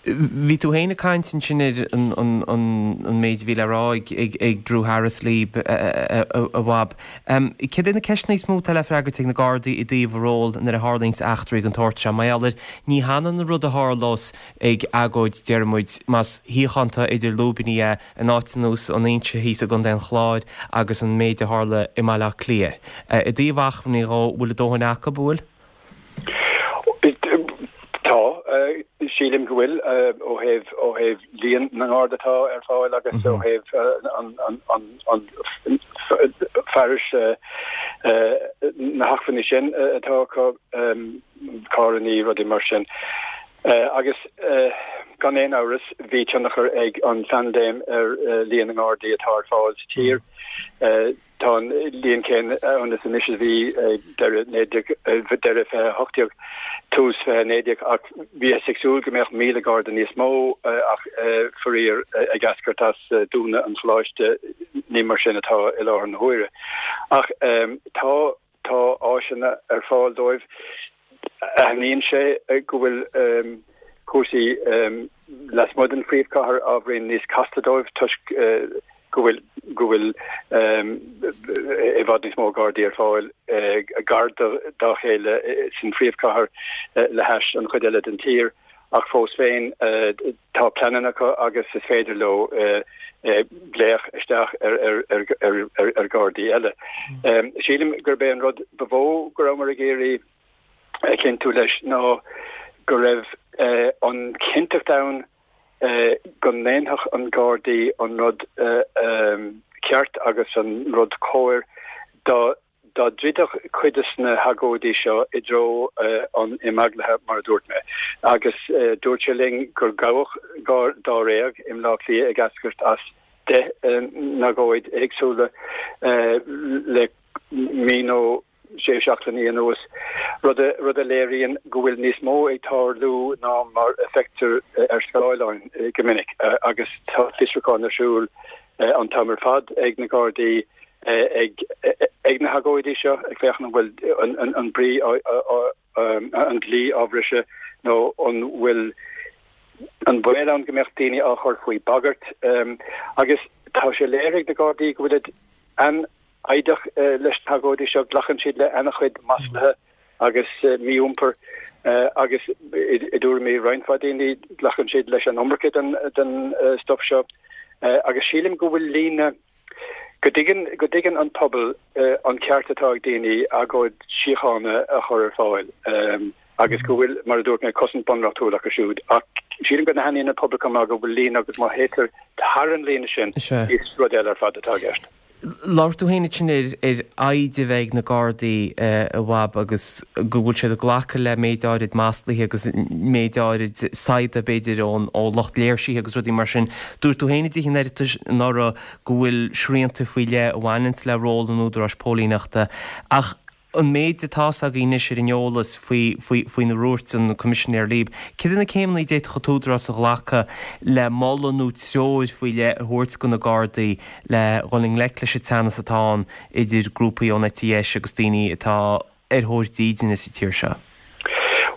Bhí tú féin ag caint ansin ar an méid a bhí le rá ag Drew Harris libh, a Bhab. Céard é na ceisteanna is mó atá le freagairt ag na Gardaí i dtaobh a ról nuair a tharlaíonns eachtraí den tsórt seo? Mar gheall ar ní hionann an rud a tharlós ag agóid, déarfaidh muid, más síochánta idir lúibíní é in áit ar nós an Inse thíos i gContae an Chláir agus an méid a tharla i mBaile Átha Cliath. I dtaobh acmhainní dhó, bhfuil a dóthain acu, an bhfuil? Tá, sílim go bhfuil, ó thaobh, ó thaobh líon na nGarda atá ar fáil agus ó thaobh an, an fearais, na hacmhainní sin atá acu, carrannaí, rudaí mar sin. Agus gan aon amhras, bhí tionchar ag an phaindéim ar líon na nGardaí atá ar fáil sa tír. Tá an líon céanna ann is anois a bhí ag deireadh deireadh 2018, tús 2019, ach bhíothas ag súil go mbeadh 1,000 Garda níos mó ach faraor ag eascairt as dúnadh an choláiste ní mar sin atá i láthair na huaire. Ach tá tá áiseanna ar fáil dóibh. Aithníonn sé go bhfuil cúrsaí lasmuigh den phríomhchathair ábhairín níos casta dóibh toisc go bhfuil go bhfuil i bhfad níos mó Gardaí ar fáil gar dá chéile san phríomhchathair le hais an chuid eile den tír ach fós féin tá pleananna acu agus is féidir leo glaoch isteach ar Ghardaí eile. Sílim gurb é an rud ba mhó go rabhamar ag iarraidh a chinntiú leis ná go raibh an chinnteacht ann go ndéanfadh an Gardaí an rud ceart agus an rud cóir dá Dá dtroidfeadh cuid de na hagóidí seo i dtreo an imeaglaithe, mar a dúirt mé, agus dúirt sé linn gur gabhadh dáréag i mBleá Cliath ag eascairt as 10 n-agóid éagsúla le mí nó sé seachtainí anuas, rud a léiríonn go bhfuil níos mó ag tarlú ná mar a feictear ar scáileáin go minic agus tá fiosrúchán ar siúl an t-am ar fad ag na Gardaí. ag na hagóidí seo, ag féachaint an bhfuil an brí an dlí á bhriseadh nó an bhfuil an baol ann go mbeadh daoine á chur faoi bagairt. Agus tá sé léirithe ag na Gardaí go bhfuilid an-fhoighdeach leis na hagóidí seo, glacann siad le an-chuid maslaithe agus mí-iompar agus i dtuairimí roinnt mhaith daoine glacann siad leis an iomarca den stuif seo. Agus sílim go bhfuil líne Go dtuigeann, go dtuigeann an pobal an ceart atá ag daoine agóid síochána a chur ar fáil agus go bhfuil, mar a dúirt mé, cosaint bunreachtúil acu siúd. Ach sílim go n-aithníonn an pobal chomh maith go bhfuil líne agus má théitear thar an líne sin, is rud eile ar fad atá i gceist. Labhair tú féin ansin ar fhoighid a bheith ag na Gardaí, a Bhab, agus go bhfuil siad ag glacadh le méid áirid maslaithe agus méid áirid saigheada, b'fhéidir, ón ó lucht léirsithe agus rudaí mar sin. Dúirt tú féin i dTithe an Oireachtais anuraidh go bhfuil srianta faoi leith a bhaineanns le ról an údaráis póilíneachta ach an méid atá's againn anois ar an eolas faoi faoina ndúirt an Coimisinéir Leeb, céard iad na céimeanna a d'fhéadfadh an t-údarás a ghlacadh le moladh nó treoir faoi leith a thabhairt do na Gardaí le dhul i ngleic leis an teannas atá ann idir grúpaí ón eite dheis agus daoine atá ar thóir dídine sa tír seo?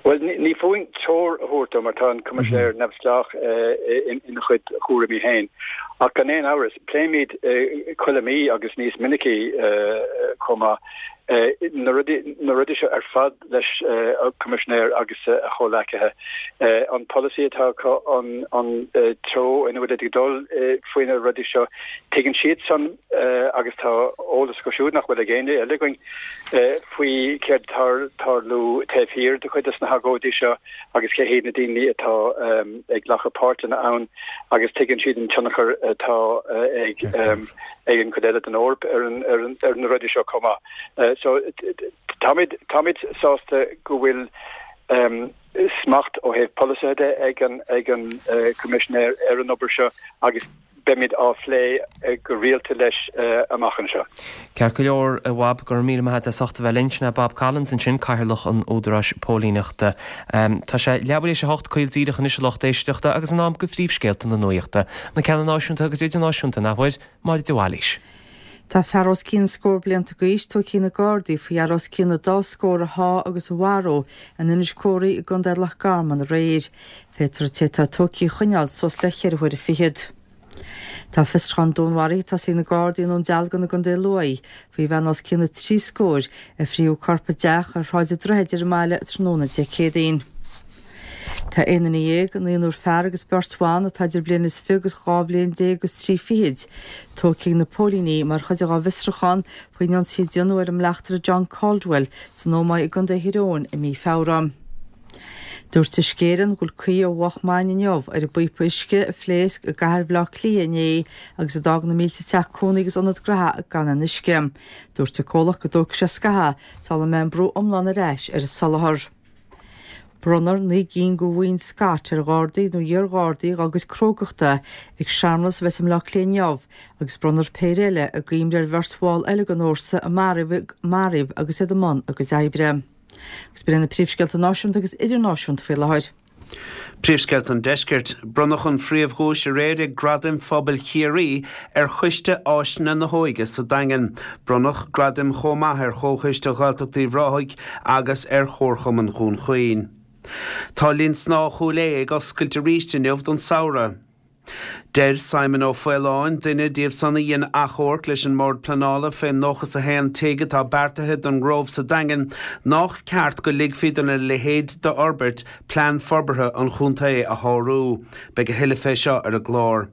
Bhuel, ní fúinn treoir a thabhairt dó mar tá an Coimisinéir neamhspleách ina chuid chúraimí féin. Ach gan aon amhras, pléimid chuile mí agus níos minicí chomh maith. Na rudaí, na rudaí seo ar fad leis an Coimisinéir agus a chomhleacaithe. An polasaí atá acu, an, an treo ina bhfuil siad ag dul faoi na rudaí seo, tuigeann siadsan agus tá eolas acu siúd nach bhfuil ag éinne eile againn faoi céard atá ag tarlú taobh thiar de chuid de na hagóidí seo agus cé hiad na daoine atá ag glacadh páirte ann agus tuigeann siad an tionchar atá ag ag an gcuid eile den Eoraip ar an ar an ar na rudaí seo chomh maith. So táimid táimid sásta go bhfuil smacht ó thaobh polasaithe de ag an ag an Coimisinéir ar an obair seo agus beimid á phlé go rialta leis amach anseo. Ceart go leor, a Bhob, go raibh míle maith agat as ucht a bheith linn. Sin é Bob Collins ansin, Cathaoirleach an Údaráis Póilíneachta. Tá sé leathuair théis a hocht, caol díreach anois a lucht éisteachta agus in am do phríomhscéalta na nuachta, na ceanna náisiúnta agus idirnáisiúnta, nach bhfuil? Máire de Bhailís. Tá fear os cionn scór blianta d'aois tógtha ag na Gardaí faoi fhear os cionn an dá scór a shá agus a mharú in Inis Córthaidh i gContae Loch Garman aréir. Féadfar an té atá tógtha a choinneáil suas le cheithre huaire fichead. Tá fiosrúchán dúnmharaithe tosaithe ag na Gardaí i nDún Dealgan i gContae Lú faoi bhean os cionn na trí scóir a frítheadh a corp i dteach ar Shráid an Droichid ar an mbaile tráthnóna Dé Céadaoin. Tá 11 duine, naonúr fear agus beirt bhan, atá idir bliain is fiche agus 12 bhliain agus trí fichid, tógtha ag na póilíní mar chuid dá bhfiosrúchán faoin ionsaí a déanadh ar an mbleachtaire John Caldwell san Ómaigh i gContae Thír Eoghain i mí Feabhra. Dúirt Uisce Éireann go bhfuil caoi ó mhoch maidin inniu ar an bpíopa uisce a phléasc i gcathair Bhaile Átha Cliath inné agus a d'fhág na mílte teach cónaí agus ionad gnaithe gan aon uisce. Dúirt an comhlacht go dtógfaidh sé scaitheamh sula mbeidh an brú iomlán ar ais ar an soláthar. Bronnfar 9 gcinn de bhoinn Scott ar Ghardaí nó iar-Ghardaí dá gcuid crógachta ag searmanas a bheas i mBleá Cliath inniu agus bronnfar péire eile i gcuimhne ar bheirt bhall eile den fhórsa a maraíodh agus iad i mbun a gcuid oibre. Agus b'in iad na príomhscéalta náisiúnta agus idirnáisiúnta faoi láthair. Príomhscéalta an Deiscirt. Bronnadh an phríomhdhuais aréir ag Gradaim Phobail Chiarraí ar Choiste Áiseanna na hÓige sa Daingean. Bronnadh gradaim chomh maith ar Chomhchoiste Ghaeltacht Uíbh Ráthaigh agus ar Chomharchumann Dhún Chaoin. Tá Linn Snámha Chúil Aodha ag oscailt arís inniu don samhradh. Deir Simon Ó Faoláin, duine díobh san a dhein achomharc leis an mBord Pleanála fén 91 tigh atá beartaithe don nGrove sa Daingean, nách ceart go ligfí dona leithéid d'fhorbairt plean forbartha an chontae a shárú. Beidh a thuilleadh fé seo ar an gclár.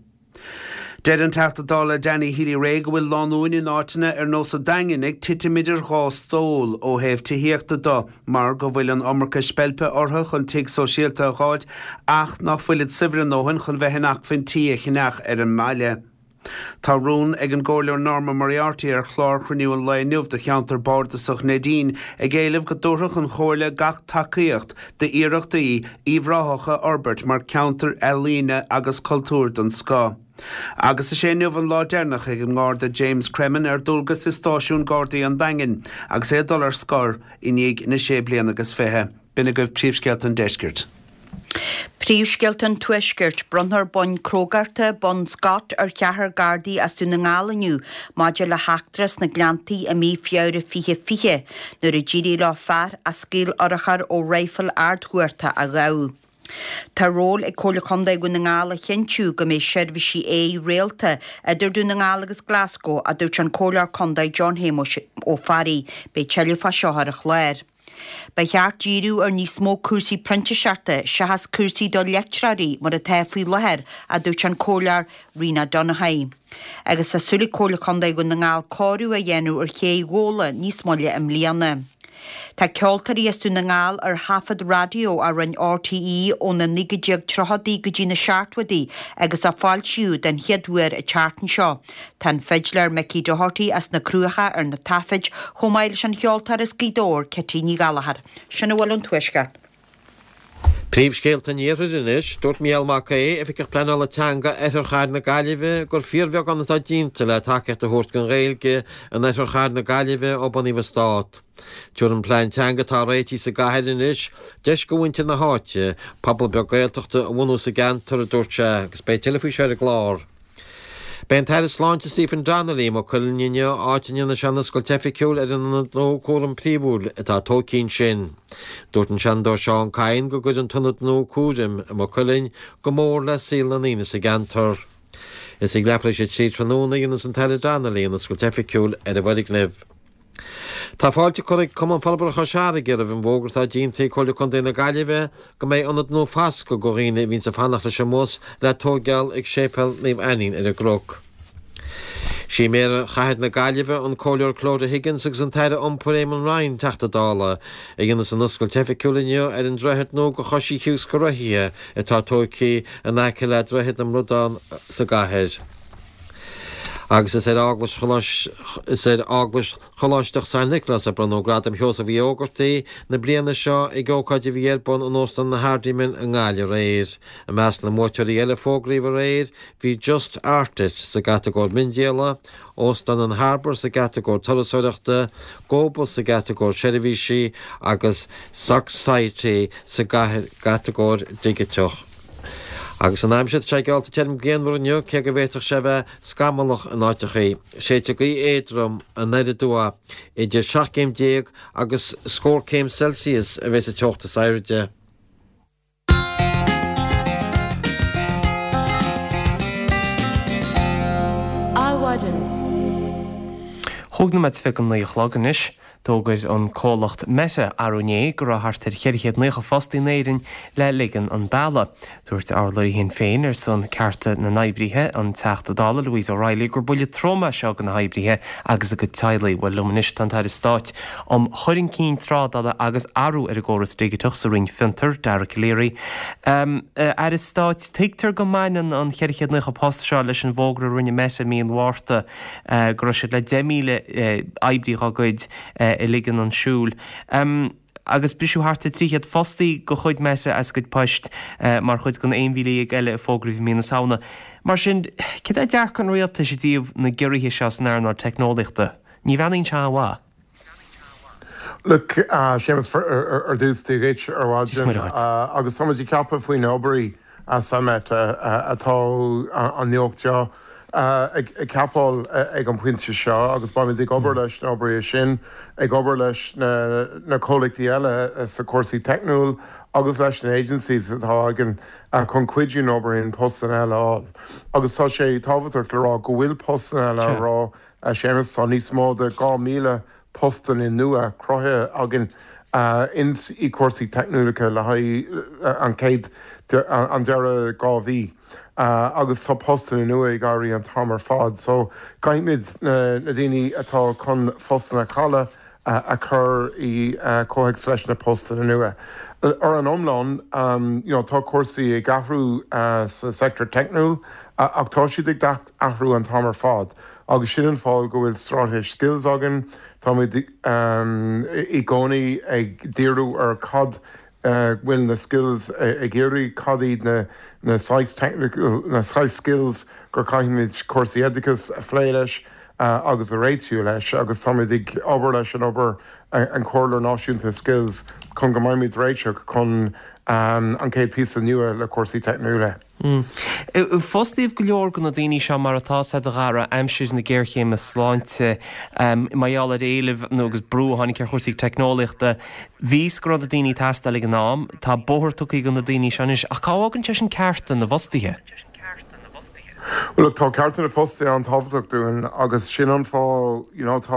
Deir an Teachta Dála Danny Healy-Rae go bhfuil lánúin in áiteanna ar nós an Daingin ag titim idir dhá stól ó thaobh tithíochta do mar go bhfuil an iomarca speilpe orthu chun tigh sóisialta a dh'fháilt ach ná fuilid saibhir a ndóthain chun bheith in acmhainn tí a cheannach ar an mbaile. Tá rún ag an gComhairleoir Norma Moriarty ar chlár chruinniú an lae inniu do cheantar bardasach Neidín ag éileamh go dtabharfadh an Chomhairle gach tacaíocht d'iarrachtaí Uíbh Ráthach a fhorbairt mar ceantar ealaíne agus cultúir den scoth. Agus is é inniu an lá deireanach ag an nGarda James Cremin ar dualgas i Stáisiún Gardaí an Daingin agus é ag dul ar scor i ndiaidh na sé bliana agus fiche. B'in agaibh príomhscéalta an deiscirt. Príomhscéalta an Tuaiscirt, Bronnfar boinn crógachta, Bonn Scott, ar cheathrar Gardaí as Dún na nGall inniu maidir le heachtra sna Gleanntaí i mí Feabhra 2020 nuair a d'éirigh leo fear a scaoil urchar ó raidhfil ardchumhachta a ghabhadh. Tá ról ag Comhairle Contae Dhún na nGall a chinntiú go mbeidh seirbhísí aeir rialta idir Dún na nGall agus Glasgow, a dúirt an Comhairleoir Contae John Shéamuis Ó Fearraigh. Beidh tuilleadh fá seo ar an chlár. Ba cheart díriú ar níos mó cúrsaí printíseachta seachas cúrsaí do leictreoirí mar atá faoi láthair, a dúirt an Comhairleoir Rena Donaghey. Agus tá súil ag Comhairle Contae Dhún na nGall cóiriú a dhéanamh ar ché Ghabhla níos moille i mbliana. Tá ceoltóirí as Dún na nGall ar thaifead raidió a rinne RTÉ ó na 1930idí go dtí na seachtóidí agus a foilsíodh den chéad uair an tseachtain seo. Tá an fidléir Mickey Doherty as na Cruacha ar na taifid, chomh maith leis an cheoltóir as Gaoth Dobhair, Kitty Ní Ghallchóir. Sin a bhfuil ón Tuaisceart. Príomhscéalta an Iarthair anois. Dúirt Mícheál Mac Aodha, Oifigeach Pleanála Teanga Oirthear Chathair na Gaillimhe, gur fíorbheagán atá déanta le tacaíocht a thabhairt don Ghaeilge in Oirthear Chathair na Gaillimhe ó bunaíodh an Stát. Tabharfaidh an plean teanga atá réitithe sa gcathair anois deis do mhuintir na háite pobal beag Gaeltachta a bhunú sa gceantar, a dúirt sé, agus beidh tuilleadh faoi seo ar an gclár. Beidh an tAire Sláinte Stephen Donnelly i Maigh Cuilinn inniu, áit a ndéanfaidh sé an oscailt oifigiúil ar an ionad nua cúraim príomhúil atá tógtha ansin. Dúirt an Seanadóir Seán Kyne go gcuirfidh an t-ionad nua cúraim i Maigh Cuilinn go mór le saol na ndaoine sa gceantar. Is ag leathuair tar éis a 3 tráthnóna a dhéanfas an tAire Donnelly an oscailt oifigiúil ar an bhfoirgneamh. Tá fáilte curtha ag Cumann Forbartha Chois Fharraige roimh an bhfógra atá déanta ag Comhairle Contae na Gaillimhe go mbeidh ionad nua foscaidh do dhaoine a bhíonns ag fanacht leis an mbus le tóigeáil ag Séipéal Naomh Ainnín ar an gCnoc. Sí Méara Chathair na Gaillimhe, an Comhairleoir Clodagh Higgins agus an tAire Iompair Eamon Ryan, Teachta Dála, a dhéanfas an oscailt oifigiúil inniu ar an droichead nua do choisithe agus do rothaithe atá tógtha in aice le Droichead na mBradán sa gcathair. Agus is ar Eaglais is ar Eaglais Choláisteach San Nioclás a bronnadh Gradam Sheosaimh Uí Ógartaigh na bliana seo ag ócáid a bhí ar bun in Óstán an Hardiman i nGaillimh aréir. I measc na mbuaiteoirí eile a fógraíodh aréir bhí Just Art It sa gcatagóir miondíola, Óstán an Harbour sa gcatagóir turasóireachta, GoBus sa gcatagóir seirbhísí agus Socksciety sa gcatagóir dhigiteach. Agus an aimsir, tá sé geallta tirim grianmhar inniu, cé go bhféadfadh sé a bheith scamallach in áiteachaí. Séidfidh gaoth éadrom anoir aduaidh. Idir 17 céim agus scór céim Celsius a bheas an teocht is airde. Adhmhaidin. Chúig nóiméad is 29 a chlog anois. D'fhógair an comhlacht Meta arú inné go raibh thart ar 490 fostaí in Éirinn le ligean an bealaigh. Dúirt urlabhraí Shinn Féin ar son cearta na n-oibrithe, an Teachta Dála Louise O'Reilly, gur buille trom é seo do na hoibrithe agus a gcuid teaghlaigh. Bhuel, liom anois tá an tAire Stáit um Chur Chun Cinn Trádála agus Athrú ar an gCóras Digiteach sa Roinn Fiontar, Dara Calleary. Aire Stáit, tuigtear go mbaineann an 490 post seo leis an bhfógra a rinne Meta i mí an Mhárta go raibh siad le 10,000 oibrí dá gcuid a ligean chun siúil. Agus briseadh thart ar 300 fostaí de chuid Meta as a gcuid poist mar chuid den 11,000 eile a fógraíodh i mí na Samhna. Mar sin, céard é dearcadh an rialtais i dtaobh na gciorruithe seo san earnáil teicneolaíochta? Ní bheannaíonn sé an-mhaith. Look, Séamus, ar dtús, Dia dhuit ar maidin agus táimid ag ceapadh faoi na hoibrithe sa Meta atá an nuacht seo ag ceapáil ag an bpointe seo agus beimid ag obair leis na hoibrithe sin, ag obair leis na comhlachtaí eile sa cúrsaí teicniúil agus leis na agencies atá againn chun cuidiú na oibrithe postanna eile a fháil. Agus tá sé tábhachtach le rá go bhfuil postanna eile a rá A Shéamais, tá níos mó de 2,000 postanna nua cruthaithe againn ins i cúrsaí teicniúlacha le haghaidh an chéad an deireadh 2 mhí agus tá postanna nua ag éirí an t-am ar fad so caithfimid na daoine atá chun phostanna a chailleadh a chur i comhthéacs leis na postanna nua. Ar an iomlán, you know, tá cúrsaí ag athrú sa sector teicniúil ach tá siad ag athrú an t-am ar fad agus sin an fáth go bhfuil straitéis skills againn. Táimid i gcónaí ag díriú ar cad bhfuil na skills ag iarraidh, cad iad na na saghas technical, na saghas skills gur caithfimid cúrsaí oideachais a phlé leis agus a réitiú leis agus táimid ag obair leis an obair an Comhairleoir Náisiúnta Skills chun go mbeimid réiteach chun an chéad píosa nua le cúrsaí teicniúla. Fostaíodh go leor de na daoine seo mar atá a Dhara aimsir na géarchéime sláinte mar gheall ar éileamh nó agus brú a tháinig ar chúrsaí teicneolaíochta. Bhí 's go raibh na daoine ag teastáil ag an am. Tá bóthar tugtha do na daoine seo anois ach cá bhfágann sé sin cearta na bhfostaithe? Bhuel look, tá cearta na bhfostaithe an-tábhachtach dúinn agus sin an fáth you know tá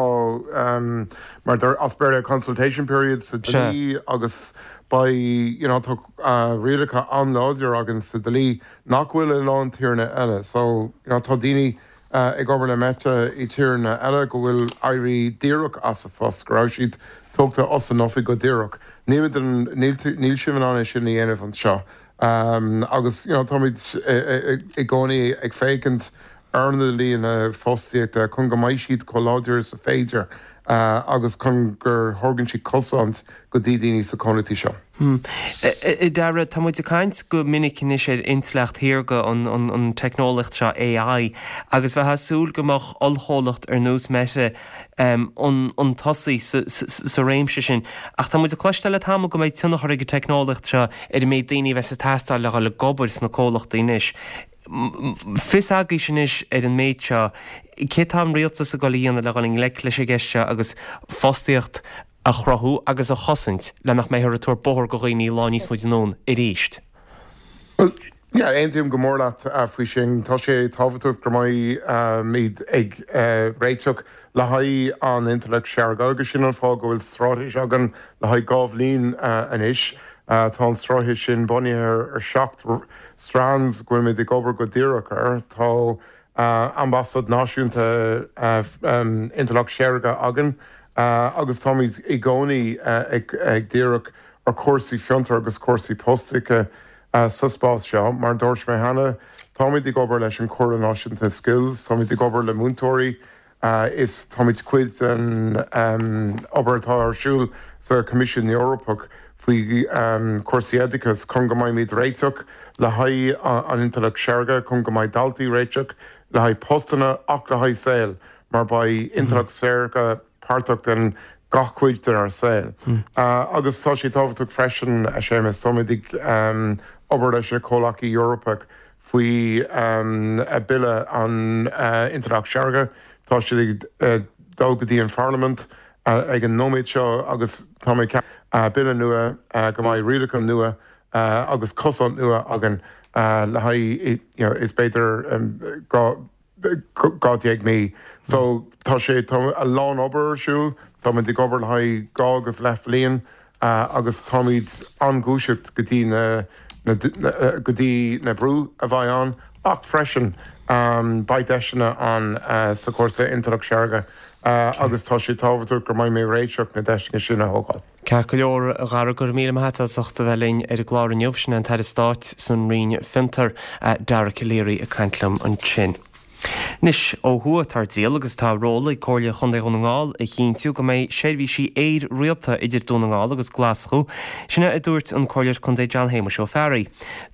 mar deir as Béarla consultation period sa dlí agus beidh you know tá rialacha an-láidir againn sa dlí nach bhfuil i lán tíreanna eile. So, you know, tá daoine ag obair le Meta i tíreanna eile go bhfuil éirí díreach as a phost, go raibh siad tógtha as an oifig go díreach. Níl, níl sibh in ann é sin a dhéanamh anseo. Agus, you know, táimid i gcónaí ag féachaint ar na dlíthe fostaíochta chun go mbeidh siad chomh láidir is a féidir agus chun gur thugann siad cosaint go dtí daoine sa chomhlachtaí seo. A Dhara, tá muid ag caint go minic anois ar intleacht shaorga, an teicneolaíocht seo, AI, agus bheifeá ag súil go mbeadh ollchomhlacht ar nós Meta chun tosaigh sa réimse sin. Ach tá muid ag cloisteáil le tamall go mbeidh tionchar ag an teicneolaíocht seo ar an méid daoine a bheas ag teastáil le dhul ag obair sna comhlachtaí anois. Fios agaibhse anois ar an méid seo, céard tá an rialtas ag dul a dhéanamh le dhul i ngleic leis an gceist seo agus fostaíocht a chruthú agus a chosaint le nach mbeifear ag tabhairt bóthar go dhaoine lá níos faide anonn arís? Bhuel, Yeah, aontaím go mór leat faoi sin. Tá sé tábhachtach go mbeimid ag réiteach le haghaidh an intleacht shaorga agus sin an fáth go bhfuil straitéis againn le haghaidh 2 bhliain anois. Tá an straitéis sin bunaithe ar 7 strands go bhfuilimid ag obair go díreach air. Tá Ambasáid Náisiúnta Intleacht Shaorga againn agus táimid i gcónaí ag díriú ar chúrsaí fiontair agus cúrsaí postaíochta sa spás seo. Mar a dúirt mé cheana, táimid ag obair leis an Chomhairle Náisiúnta Skills, táimid ag obair le múinteoirí is táimid cuid den obair atá ar siúl sa Choimisiún Eorpach faoi chúrsaí oideachais chun go mbeimid réiteach le haghaidh an intleacht shaorga, chun go mbeidh daltaí réiteach le haghaidh postanna ach le haghaidh saol mar beidh intleacht saorga páirteach den gach cuid denár saol. Agus tá sé tábhachtach freisin, a Shéamus, táimid ag obair leis na comhlachaí Eorpach faoi Bille an Intleacht Shaorga. Tá siad ag dul go dtí an Pharlaimint ag an nóiméad seo agus tá mé ag ceapadh bille nua, go mbeidh rialacha nua agus cosaint nua againn le haghaidh, you know, is b'fhéidir 12 mí. So tá sé, tá a lán obair ar siúl, táimid ag obair le haghaidh 2 agus leath bhliain agus táimid an-ghuaiseach go dtí na, go dtí na brú a bheidh ann ach freisin beidh deiseanna ann sa chúrsa intleacht shaorga agus tá sé tábhachtach go mbeidh mé réiteach na deiseanna sin a thógáil. Ceart go leor, a Dhara, go raibh míle maith agat as ucht a bheith linn ar an gclár inniu. Sin é an tAire Stáit san Roinn Fiontar, Dara Calleary ag caint liom ansin. Anois, ó thuaidh atá ar díol agus tá ról ag Comhairle Chontae Dhún na nGall a chinntiú go mbeidh seirbhísí aeir rialta idir Dún na nGall agus Glaschú, sin é a dúirt an Comhairleoir Contae John Shéamuis Ó Fearraigh.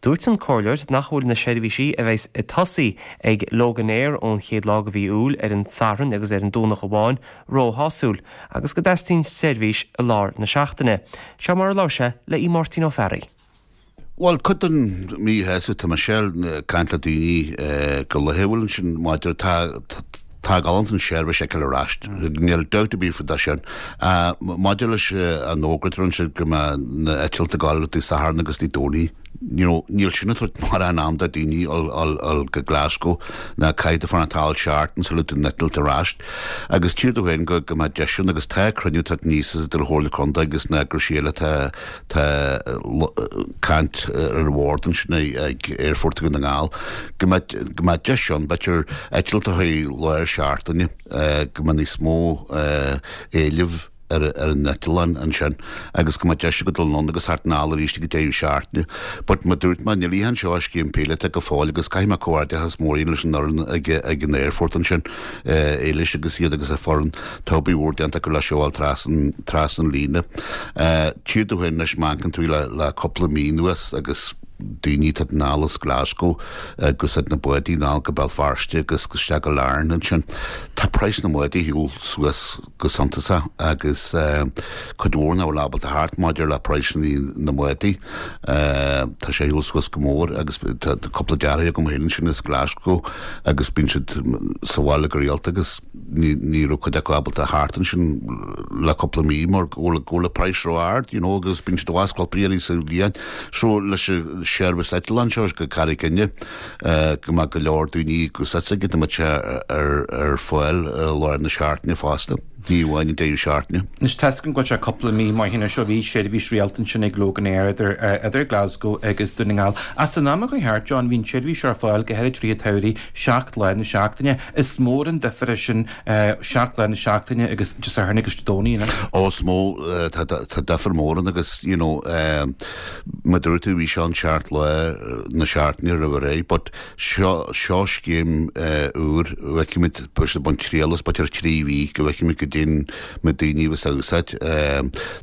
Dúirt an Comhairleoir nach bhfuil na seirbhísí a bheas ag tosaí ag Loganair ón chéad lá de mhí Iúil ar an Satharn agus ar an Domhnach amháin róshásúil agus go dteastaíonn seirbhís i lár na seachtaine. Seo mar a labhair sé le Aodh Máirtín Ó Fearraigh. Bhuel, cuid den mhíshásamh, tá mise ag caint le daoine go laethúil ansin maidir, tá, tá galánta an seirbhís a fheiceáil ar ais, níl dabht ar bith faoi sin. Maidir leis an fhógra a rinne siad go mbeadh na eitilt ag gabháil Dé Sathairn agus Dé Domhnaigh, you know, níl sin ag tabhairt mórán am do daoine dul go Glasgow ná caithfidh tú fanacht thall seachtain sula dtagann an eitilt ar ais. Agus tchítear domh féin go mbeadh deis ann agus tá cruinniú ag teacht aníos idir an Chomhairle Contae agus na eagraisí eile atá Tá caint ar an bhord ansin ag Aerfort Dhún na nGall go mbeadh go mbeadh deis ann, b'fhéidir, eitilt a chuid lár seachtaine, go mbeadh níos mó éilimh ar ar an eitleán ansin agus go mbeadh deis agat dul anonn agus theacht anall arís ag an deireadh seachtaine. But mar dúirt mé, níl aon seo scéim píolótach go fóill agus caithfidh mé comhghairdeachas mór a dhéanamh leis an fhoireann ag ag an aerfort ansin, Éilis agus iad agus a foireann. Tá obair mhór déanta acu le seo a fháil trasna, trasna an líne. Tchítear domh féin anois má amharcann tú le, le cúpla mí anuas agus daoine ag teacht anall as Glasgow agus na bádaí anall go Béal Feirste agus isteach go Larne ansin. Tá praghas na mbádaí ar shiúl suas go suntasach agus cuid mhór nach bhfuil ábalta theacht maidir le praghsanna na mbádaí. Tá sé ar shiúl suas go mór agus tá cúpla deartháir agam féin ansin as Glasgow agus bíonn siad sa bhaile go rialta agus ní raibh cuid acu ábalta theacht ansin le cúpla mí mar go bhfuil go bhfuil an praghas ró-ard you know agus bíonn siad i bhfad scolpaí ar sa bhliain. So leis an seirbhís eitleán seo go Carraig Fhinne go mbeadh go leor daoine ag úsáid go mbeadh sé ar ar fáil i lár na seachtaine fosta, ní amháin an deireadh seachtaine. Anois tá a fhios agam go bhfuil sé cúpla mí maith anois ó bhí seirbhís rialta ansin ag Loganair idir idir Glasgow agus Dún na nGall. Ach san am a chuaigh thart, John, bhí an tseirbhís ar fáil go háirid i rith an tsamhraidh 7 lá na seachtaine. Is mór an difear é sin, 7 lá na seachtaine agus Dé Sathairn agus Dé Domhnaigh anois. Ó, is mó, tá difear mór ann agus, you know, mar dúirt tú, bhí seo an seacht lá na seachtaine roimh ré, but seo, seo scéim úr, bhfeicfimid, beidh siad ag baint triail as b'fhéidir 3 mhí go bhfeicfimid goidé na daoine a bheas á úsáid.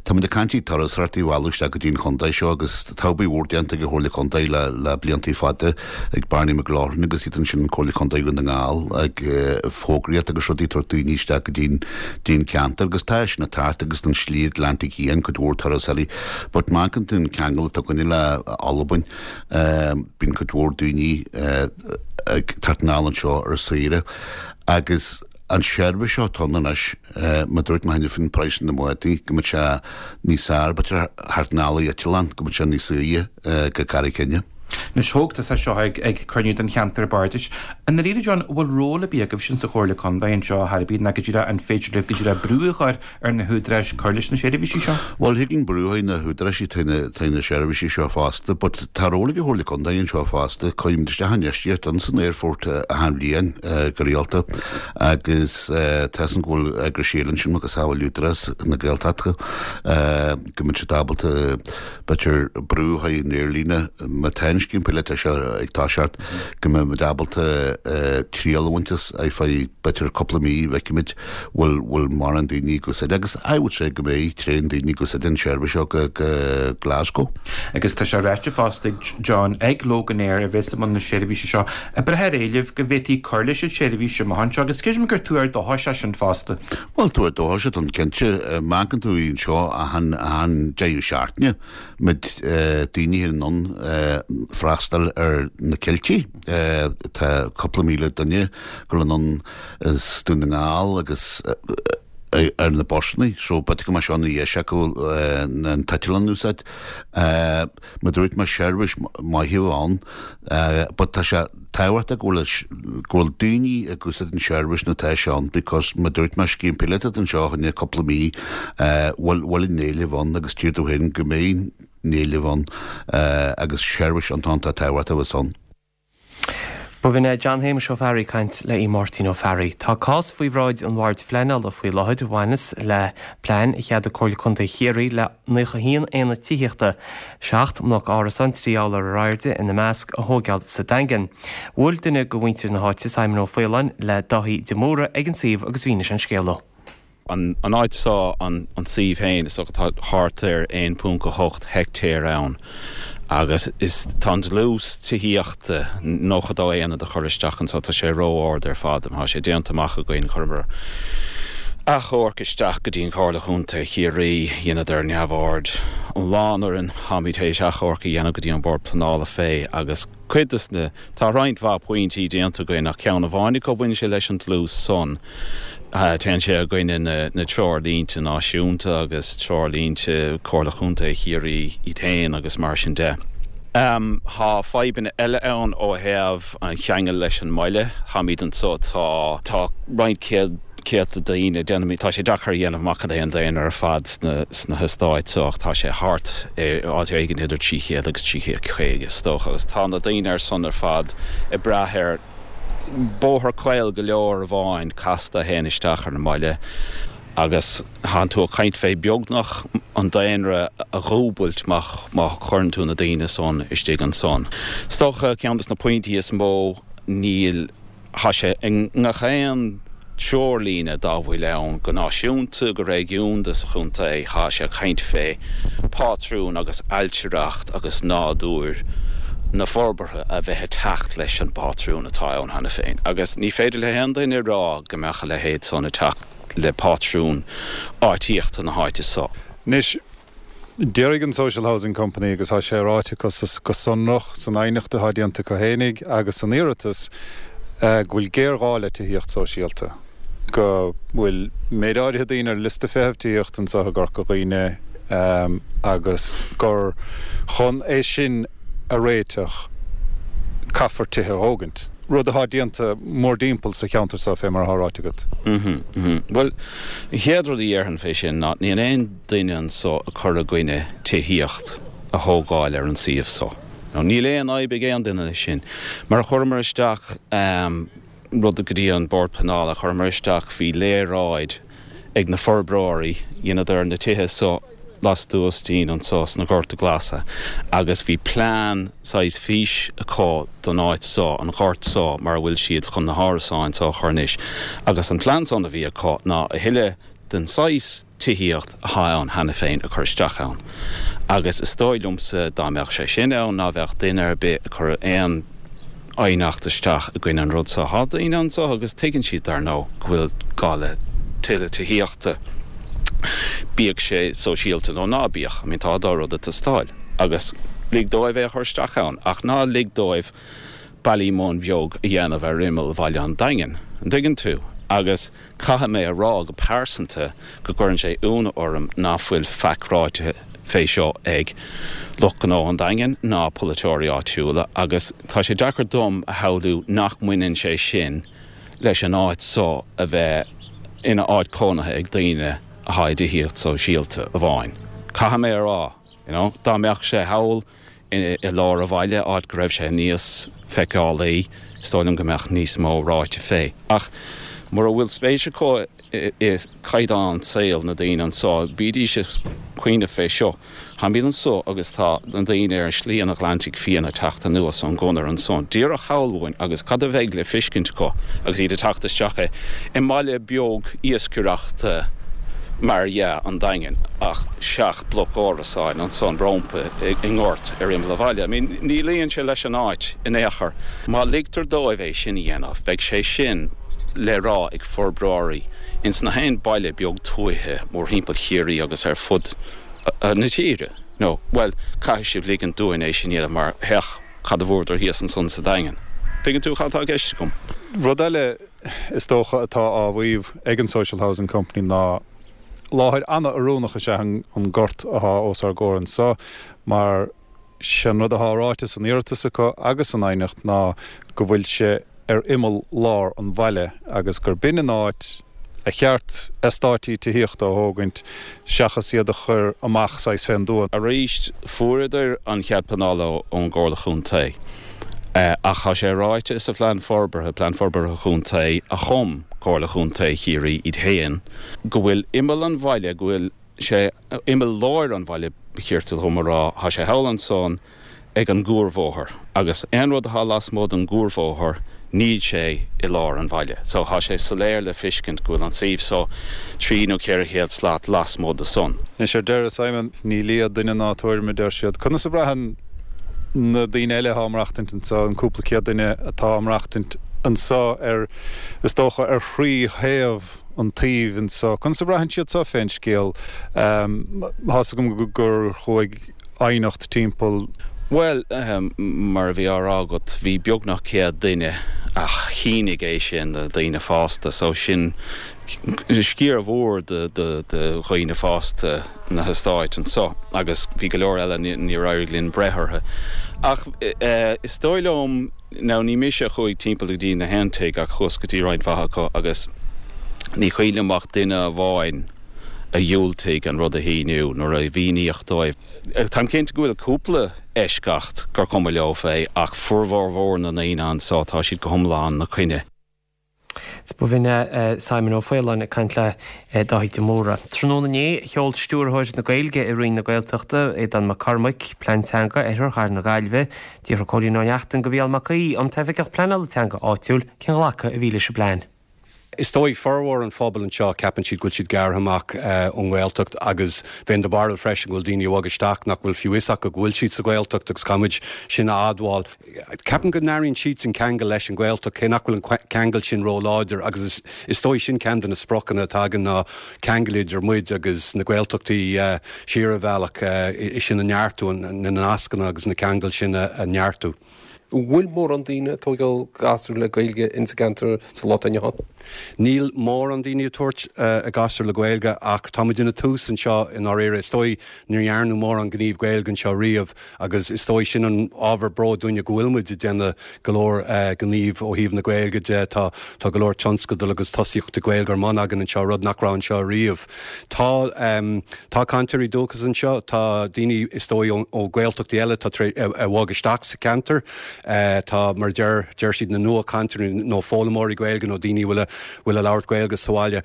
Táimid ag caint ar turasóireacht a mhealladh isteach go dtí an chontae seo agus tá obair mhór déanta ag an Chomhairle Contae le le bliantaí fada ag Barney McLaughlin agus iad ansin Comhairle Contae Dhún na nGall ag fógraíocht agus rudaí ag tabhairt daoine isteach go dtí dtí an ceantar agus tá sin ag teacht agus an slí Atlantic Fhiáin cuid mhór turasóirí but má amharcann tú an ceangal atá againne le Albain bíonn cuid mhór daoine ag teacht anall anseo ar saoire agus an seirbhís seo atá ann anois, mar dúirt mé cheana faoin praghas na mbádaí, go mbeadh sé níos fearr, b'fhéidir thart anall ar eitleán, go mbeadh sé níos saoire go Carraig Fhinne. Anois thóg tusa seo ag cruinniú den cheantar bardais. I ndáiríre John, an bhfuil ról ar bith agaibhse sa Chomhairle Contae anseo ar chor ar bith ná go díreach an féidir libh go díreach brú a chur ar na húdaráis cur leis na seirbhísí seo? Bhuel, thig linn brú ar na húdaráis taobh na seirbhísí seo fosta, but tá ról ag an Chomhairle Contae anseo fosta. Cuirimid isteach infheistíocht ins an aerfort achan bhliain go rialta agus tá 'fhios a'm go bhfuil eagrais eile ansin macasamhail Údarás na Gaeltachta go mbeidh siad ábalta b'fhéidir brú a chur ar an aerlíne má tá an scéim píolótach seo ag toiseacht go mbeidh muid ábalta triail a bhaint as ar feadh b'fhéidir cúpla mí feicfimid bhfuil bhfuil mórán daoine ag úsáid agus I would say go mbeidh tréan daoine ag úsáid an seirbhís seo go go Glasgow. Agus tá sé ráite fosta ag John ag Loganair a bheas i mbun na seirbhíse seo ag brath ar éileamh go bhféadfaí cur leis an tseirbhís amach anseo agus creidim gur tuar dóchais é sin fosta. Bhuel, tuar dóchais atá ann cinnte. Má amharcann tú anseo achan deireadh seachtaine, muid daoine in ann freastal ar na cilltí. Tá cúpla míle duine ag dul anonn as Dún na nGall agus ar na busanna, so b'fhéidir go mbeadh seo ina dheis acu an t-eitleán a úsáid. Mar a dúirt mé seirbhís maith ann but tá sé tábhachtach go bhfuil go bhfuil daoine ag úsáid an seirbhís nuair atá sé ann because mar a dúirt mé scéim píolótach anseo fá choinne cúpla mí bhfuil bhfuil an éileamh ann agus tír dó féin go mbeidh an éileamh ann agus seirbhís iontach tábhachtach a bheas ann. B'in é John Shéamuis Ó Fearraigh ag caint le Aodh Máirtín Ó Fearraigh. Tá cás faoi bhráid an Bhoird Phleanála faoi láthair a bhaineas le plean a cheadaigh Comhairle Contae Chiarraí le 91 aonad tithíochta, 7 mbloc árasán, 3 urlár ar airde ina measc, a thóigeáil sa Daingean. Bhuail duine de mhuintir na háite, Simon Ó Faoláin, le Dáithí de Mórdha ag an suíomh agus mhínigh sé an scéal dó. An áit seo, an suíomh féin, is dócha tá thart ar 1.8 heictéar ann agus is tá an dlús tithíochta, 92 aonad a chur isteach anso, tá sé ró-ard ar fad. Tá sé déanta amach againn, chuireamar achomharc isteach go dtí an Chomhairle Chontae Chiarraí, dheineadar neamhaird iomlán orainn, táimid théis achomharc a dhéanamh go dtí an Bord Pleanála fé agus cuid des na, tá roinnt mhaith pointí déanta againn ach ceann amháin acu baineann sé leis an dlús san. Téann sé i gcoinne na treoirlínte náisiúnta agus treoirlínte Comhairle Chontae Chiarraí iad féin agus mar sin de. Tá fadhbanna eile ann ó thaobh an cheangail leis an mbaile. Táimid anso, tá, tá roinnt céad, céadta daoine, déanaimid, tá sé deacair a dhéanamh amach cad é an daonra ar fad sna, sna heastáit so ach tá sé thart ar áit éigin idir 300 agus 350 is dócha agus tá na daoine ar san ar fad ag brath ar Bóthar caol go leor amháin casta a théann isteach ar an mbaile agus tánn tú ag caint fé beagnach an daonra a dhúbailt má chuireann tú na daoine san istigh ansan. Is dócha ceann des na pointí is mó níl Tá sé i ngach aon treoirlíne dá bhfuil ann, go náisiúnta, go réigiúnda sa chontae, tá sé ag caint fé phátrún agus ailtireacht agus nádúr na forbartha a bheith ag teacht leis an bpátrún atá ann cheana féin. Agus ní féidir le haon duine a rá go mbeadh a leithéid san ag teacht le pátrún áitíochta na háite so. Anois, Déarfaidh an Social Housing Company, agus tá sé ráite acu go sonrach san aighneacht atá déanta acu fhéinig agus san iarratas, go bhfuil géarghá le tithíocht sóisialta, go bhfuil méid áirithe daoine ar liosta feithimh tithíochta anseo i gCorca Dhuibhne agus gur chun é sin a réiteach caithfear tithe a thógaint, rud atá déanta mórdtimpeall sa cheantar seo fé mar atá ráite agat. Bhuel, an chéad rud a dhéarfainn fé sin ná níl aon duine anso ag cur i gcoinne tithíocht a thógáil ar an suíomh so. Now níl aon fhadhb ag aon duine leis sin. Mar a chuireamar isteach rud go dtí an Bord Pleanála, chuireamar isteach, bhí léaráid ag na forbróirí, dheineadar na tithe so lastuas dínn anso sna Gorta Glasa agus bhí plean, saghas fís acu don áit so, an gort so mar a bhfuil siad chun na hárasáin so a chur anois agus an plean san a bhí acu ná a thuilleadh den saghas tithíocht atá ann cheana féin a chur isteach ann. Agus is dóigh liomsa dá mbeadh sé sin ann ná bheadh duine ar bith ag cur aon aighneacht isteach i gcoinne an rud seo. Tá daoine anso agus tuigeann siad dar ndóigh go bhfuil gá le tuilleadh tithíochta, bíodh sé sóisialta nó ná bíodh. I mean tá an dá rud ag teastáil. Agus lig dóibh é a chur isteach ann ach ná lig dóibh Ballymun beag a dhéanamh ar imeall Bhaile an Daingin. An dtuigeann tú? Agus Caithfidh mé a rá go pearsanta go gcuireann sé ionadh orm ná fuil faic ráite. fé seo ag lucht gnó an Daingin ná polaiteoirí áitiúla agus tá sé deacair dom a shamhlú nach mbaineann sé sin leis an áit so a bheith ina áit cónaithe ag daoine athá i dtithíocht sóisialta amháin. Caithfidh mé a rá, you know, dá mbeadh sé thall i lár an bhaile, áit go raibh sé níos feiceálaí, is dóigh liom go mbeadh níos mó ráite fé. Ach mura bhfuil spéis acu i gcaighdeán saoil na daoine anso, bídís ag cuimhneamh fé seo. Táimid anso agus tá na daoine ar Shlí an Atlantaigh Fiáin ag teacht anuas ón gconair ansan díreach thall uainn agus cad a bheidh le fiscint acu agus iad ag teacht isteach i mbaile beag iascaireachta mar dhea, an Daingean, ach seacht bloc árasáin ansan rómpa i ngort ar imeall an bhaile. I mean, ní luíonn sé leis an áit in aon chor. Má ligtear dóibh é sin a dhéanamh, beidh sé sin le rá ag forbróirí ins na haon baile beag tuaithe mórthimpeall Chiarraí agus ar fud na tíre. Nó, bhuel, caithfidh sibh ligint dúinn é sin a dhéanamh mar féach cad a bhfuaireadar thíos ansan sa Daingean. Tuigeann tú cad tá i gceist agam? Rud eile is dócha atá á mhaíomh ag an Social Housing Company ná láthair an-oiriúnach is ea an gort athá os ár gcomhair anso mar Sé an rud athá ráite san iarratas acu agus san aighneacht ná go bhfuil sé ar imeall lár an bhaile agus gur b'in an áit a cheart eastáití tithíochta a thógaint seachas iad a chur amach saghas fén dtuath. Arís, fuaireadar an chead pleanála ón gComhairle Chontae ach tá sé ráite sa phlean forbartha, Plean Forbartha Chontae a chum Comhairle Chontae Chiarraí iad féin, go bhfuil imeall an bhaile, go bhfuil sé imeall láir an bhaile, ba chirte dhom a rá, thá sé thall ansan ag an gcuarbhóthar agus aon rud athá lasmuigh den gcuarbhóthar níl sé i lár an bhaile. So thá sé soiléir le fiscint go bhfuil an suíomh so trí nó 400 slat lasmuigh de san. Anois ar deireadh, Simon, ní lia duine ná tuairim a deir siad. Conas a bhraitheann na daoine eile athá ag maireachtaint anso, an cúpla céad duine atá ag maireachtaint anso ar, is dócha, ar thrí thaobh an tsuímh anso. Conas a bhraitheann siad so fén scéal? Tá's agam gur chuaigh aighneacht timpeall. Bhuel, mar a bhí á rá agat, bhí beagnach 100 duine a shínigh é sin, de dhaoine fásta, so sin sciar mhór de dhaoine fásta na heastáit anso agus bhí go leor eile níor éirigh linn breith orthu. Ach is dóigh liom, Now ní mise a chuaigh timpeall go dtí na haon tigh ach chuas go dtí roinnt mhaith acu agus ní cuimhin liom ach duine amháin a dhiúltaigh an rud a shíniú nuair a mhíníodh dóibh. Táim cinnte go bhfuil cúpla eisceacht gur cuma leo fé ach formhór mhór na ndaoine anso tá siad go hiomlán 'na coinne. B'in é Simon Ó Faoláin ag caint le Dáithí de Mórdha. Tráthnóna inné, sheol Stiúrthóir na Gaeilge i Roinn na Gaeltachta, Aodán Mac Cormaic, Plean Teanga Oirthear Chathair na Gaillimhe. D'fhiafraigh Cóilín Ó Neachtain de Mhícheál Mac Aoidh, an tOifigeach Pleanála Teanga áitiúil, cén ghlacadh a bhí leis an bplean. Is dóigh, formhór an phobail anseo, ceapann siad go bhfuil siad gearrtha amach ón nGaeltacht agus bheinn de bharúil freisin go bhfuil daoine a bhog isteach nach bhfuil fiú fhios acu go bhfuil siad sa Ghaeltacht agus caithfimid sin a admháil. Ceapaim go n-airíonn siadsan ceangal leis an Ghaeltacht cé nach bhfuil an ceangal sin ró-láidir agus is dóigh sin ceann de na spriocanna atá againn ná ceangal idir muid agus na Gaeltachtaí siar an bhealach, é sin a neartú, na nascanna agus na ceangail sin a neartú. An bhfuil mórán daoine ag tógáil gasúr le Gaeilge ins an gceantar sa lá atá inniu ann? Níl mórán daoine ag tabhairt a gasúr le Gaeilge ach tá muid ina tús anseo i ndáiríre. Is dóigh níor dhearnadh mórán gníomh Gaeilge anseo riamh agus is dóigh sin an ábhar bróid dúinne go bhfuil muid ag déanamh go leor gníomh ó thaobh na Gaeilge de. Tá tá go leor tionscadal agus tosaíochtaí Gaeilge ar bun againn anseo, rud nach raibh anseo riamh. Tá tá cainteoirí dúchais anseo, tá daoine is dóigh ó Ghaeltachtaí eile atá tar a bhog isteach sa cheantar. Tá, mar a deir deir siad, na nuachainteoirí nó foghlaimeoirí Gaeilge nó daoine a bhfuil a bhfuil a labhairt Gaeilge sa bhaile.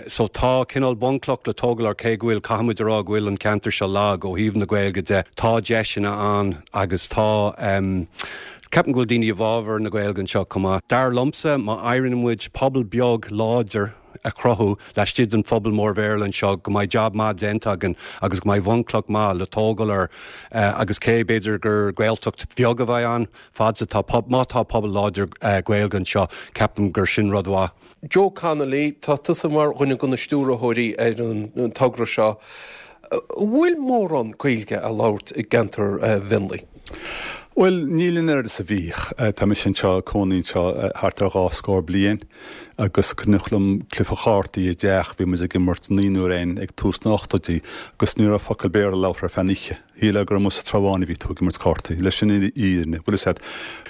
So tá cineál bunchloch le tógáil air cé go bhfuil, caithfimid a rá go bhfuil an ceantar seo lag ó thaobh na Gaeilge de. Tá deiseanna ann agus tá, ceapaim go bhfuil daoine i bhfabhar na Gaeilge anseo chomh maith. Dar liomsa, má éiríonn muid pobal beag láidir, a chruthú laistigh den phobal mór Bhéarla anseo go mbeidh jab maith déanta againn agus go mbeidh bhunchloch maith le tógáil air agus cé b'fhéidir gur Gaeltacht bheag a bheidh ann fad is atá má tá pobal láidir Gaeilge anseo ceapaim gur sin rud mhaith. Joe Connolly, tá tusa mar dhuine de na stiúrthóirí ar an togra seo. An bhfuil mórán Gaeilge á labhairt i gceantar Mhionlaigh? Bhuel, níl an oiread is a bhíodh. Tá mise anseo, ag cónaí anseo thart ar dhá scór bliain agus cuimhneach liom cluiche chártaí i dteach, bhí muid ag imirt naonúr againn ag tús na n-ochtóidí agus ní raibh focal Béarla labhartha ar feadh an oíche. Shílfeá gur amuigh sa Trá Bháin a bhí tú ag imirt cártaí, leis an fhírinne, bhfuil fhios a'd.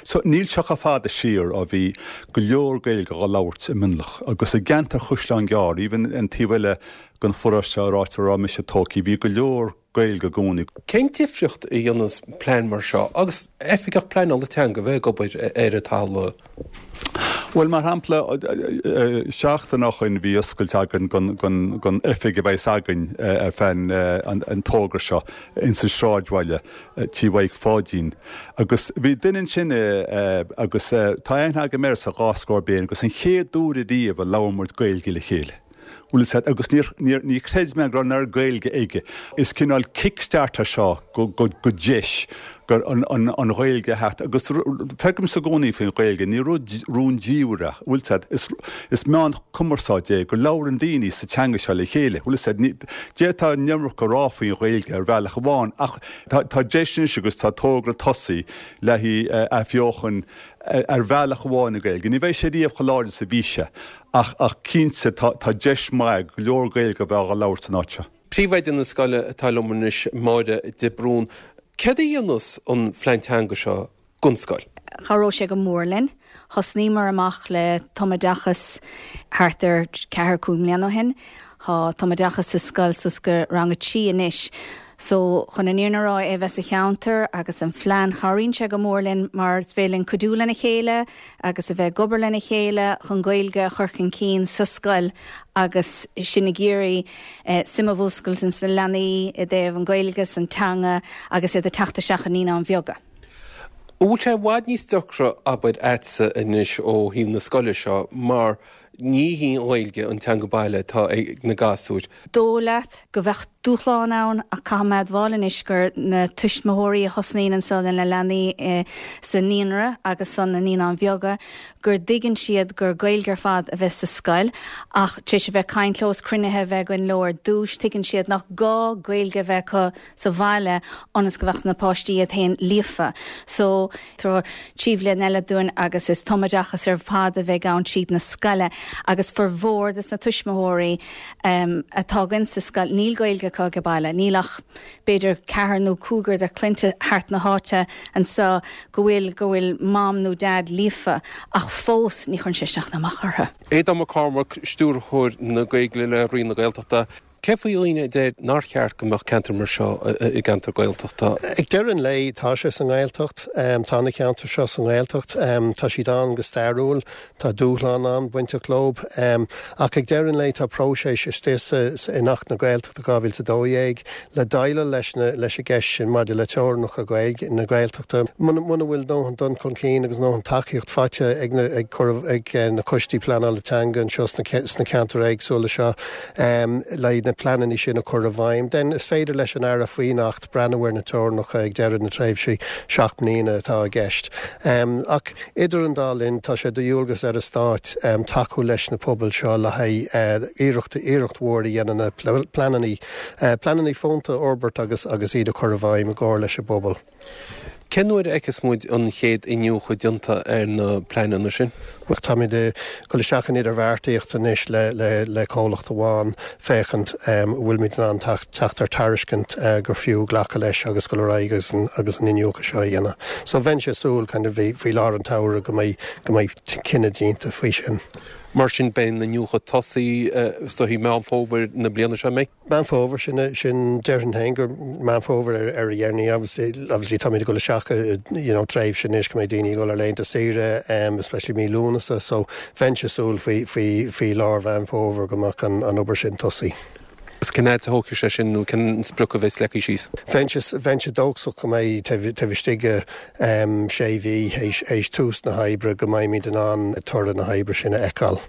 So, níl sé chomh fada siar ó bhí go leor Gaeilge á labhairt i Mionlach agus i gceantar Chaisleán Gearr, even an taobh eile den pharóiste ar áit a raibh mise tógtha, bhí go leor Gaeilge i gcónaí. Cén difríocht a dhéanas plean mar seo agus oifigeach pleanála teanga a bheith ag obair ar an talamh? Bhuel, mar shampla, seachtain ó shoin bhí oscailt againn don oifig a bheas againn ar feadh an togra seo ins an sráidbhaile, Tí Mhaidhc Pháidín. Agus bhí duine ansin agus tá aithne agam air sa dhá scór bliain agus an chéad uair ariamh a labhair muid Gaeilge le chéile. Bhfuil fhios a'd, agus níor, níor, ní chreid mé go raibh an oiread Gaeilge aige. Is cineál kick-start é seo go, go, go deis gur an, an, an Ghaeilge a theacht agus feicimse i gcónaí faoin Ghaeilge, ní rud rúndiamhair é, bhfuil fhios a'd, is, is meán cumarsáide é go labhrann daoine sa teanga seo le chéile, bhfuil fhios a'd, ní, d'fhéadfá an iomarca a rá faoin Ghaeilge ar bhealach amháin ach tá, tá deis anois agus tá togra tosaithe le haghaidh athbheochan ar bhealach amháin na Gaeilge. Ní bheidh sé riamh chomh láidir is a bhí sé. Ach, ach cinnte, tá, tá deis mhaith go leor Gaeilge a bheith á labhairt san áit seo. Príomhoide na scoile atá liom anois, Máire de Brún. Céard a dhéanas an phlean teanga seo don scoil? Chabhródh sé go mór linn. Thosnaíomar amach le tumoideachas thart ar ceathair, 5 mbliana ó shin. Tá tumoideachas sa scoil suas go rang a 3 anois. So, chun an fhírinne a rá, é a bheith sa cheantar agus an phlean, chabhraíonn sé go mór linn mar is féidir linn cuidiú lena chéile agus a bheith ag obair lena chéile chun Gaeilge a chur chun cinn sa scoil agus sinn ag iarraidh suim a mhúscailt ins na leanaí i dtaobh an Ghaeilge 's an teanga agus iad ag teacht isteach i Naíonáin Bheaga. An bhfuil sé i bhfad níos deacra, abair, a'dsa anois ó thaobh na scoile seo mar ní hí an Ghaeilge an teanga baile atá ag na gasúir. Dóigh leat go bheadh dúshlán ann ach caithfidh mé admháil anois gur na tuismitheoirí a thosnaíonn anso lena leanaí sa naíonra agus san na naíonáin bheaga gur dtuigeann siad gur Gaeilge ar fad a bheas sa scoil ach tar éis a bheith caint leo is cruinnithe a bheith againn leo ar dtúis tuigeann siad nach gá Gaeilge a bheith acu sa bhaile ionas go bheadh na páistí iad féin líofa. So, tabharfar trí bhliain eile dúinn agus is tumoideachas ar fad a bheidh ann tríd na scoile agus formhór des na tuismitheoirí atá againn sa scoil, níl Gaeilge acu age baile. Níl ach b'fhéidir ceathrar nó cúigear de chlainne thart na háite anso go bhfuil, go bhfuil mam nó dad líofa ach fós ní chuireann sé isteach ná amach orthu. Aodán Mac Cormaic, Stiúrthóir na Gaeilge le Roinn na Gaeltachta. Cé faoi dhaoine a deir nár cheart go mbeadh ceantar mar seo i gceantar Gaeltachta? Ag deireadh an lae, tá sé sa nGaeltacht. Tá na ceantair seo sa nGaeltacht. Tá siad ann go stairiúil. Tá dúshlán ann bainteach leo. Ach ag deireadh an lae, tá próiseas istigh sa, in Acht na Gaeltachta 2012 le déileáil leis na, leis an gceist sin maidir le teorainneacha Gaeilge, na Gaeltachta. Muna, muna bhfuil ndóthain dul chun cinn agus ndóthain tacaíocht faighte ag na, ag cur, ag na coistí pleanála teanga anseo sna, sna ceantair éagsúla seo, le na pleananna sin a chur i bhfeidhm, then is féidir leis an Aire faoin Acht breathnú ar na teorainneacha ag deireadh na tréimhse 7 mbliana atá i gceist. Ach idir an dá linn, tá sé de dhualgas ar an Stát tacú leis na pobail seo le haghaidh iarracht, iarracht mhór a dhéanamh na pleananna, pleananna fónta a fhorbairt agus agus iad a chur i bhfeidhm i gcomhar leis an bpobal. Cén uair a fheicfeas muid an chéad iniúchadh déanta ar na pleananna sin? Bhuel, táimid ag dul isteach in idirbheartaíocht anois le comhlacht amháin féachaint an bhfuilimid in ann teacht ar tairiscint gur fiú glacadh leis agus dul ar aghaidh agus an iniúchadh seo a dhéanamh. So bheinnse ag súil kind of faoi lár an tsamhraidh go mbeidh cinneadh déanta faoi sin. Mar sin beidh an iniúchadh tosaithe is dóichí Meán Fómhair na bliana seo, an mbeidh? Meán Fómhair, sin, sin, déarfainn féin gur Meán Fómhair ar, ar a dheireanaí. Obviously, obviously táimid ag dul isteach i, you know, tréimhse anois go mbeidh daoine ag dul ar laethanta saoire, um, especially mí Lúnasa, so bheinnse ag súil faoi, faoi, faoi lár Mheán Fómhair go mbeadh an, an obair sin tosaithe. Is cén fhad a thógfaidh sé sin nó cén sprioc a bheas leagtha síos? Bheinnse, bheinnse dóchasach go mbeidh taobh, taobh istigh de, um, sé mhí théis, théis tús na hoibre go mbeimid in ann toradh na hoibre sin a fheiceáil.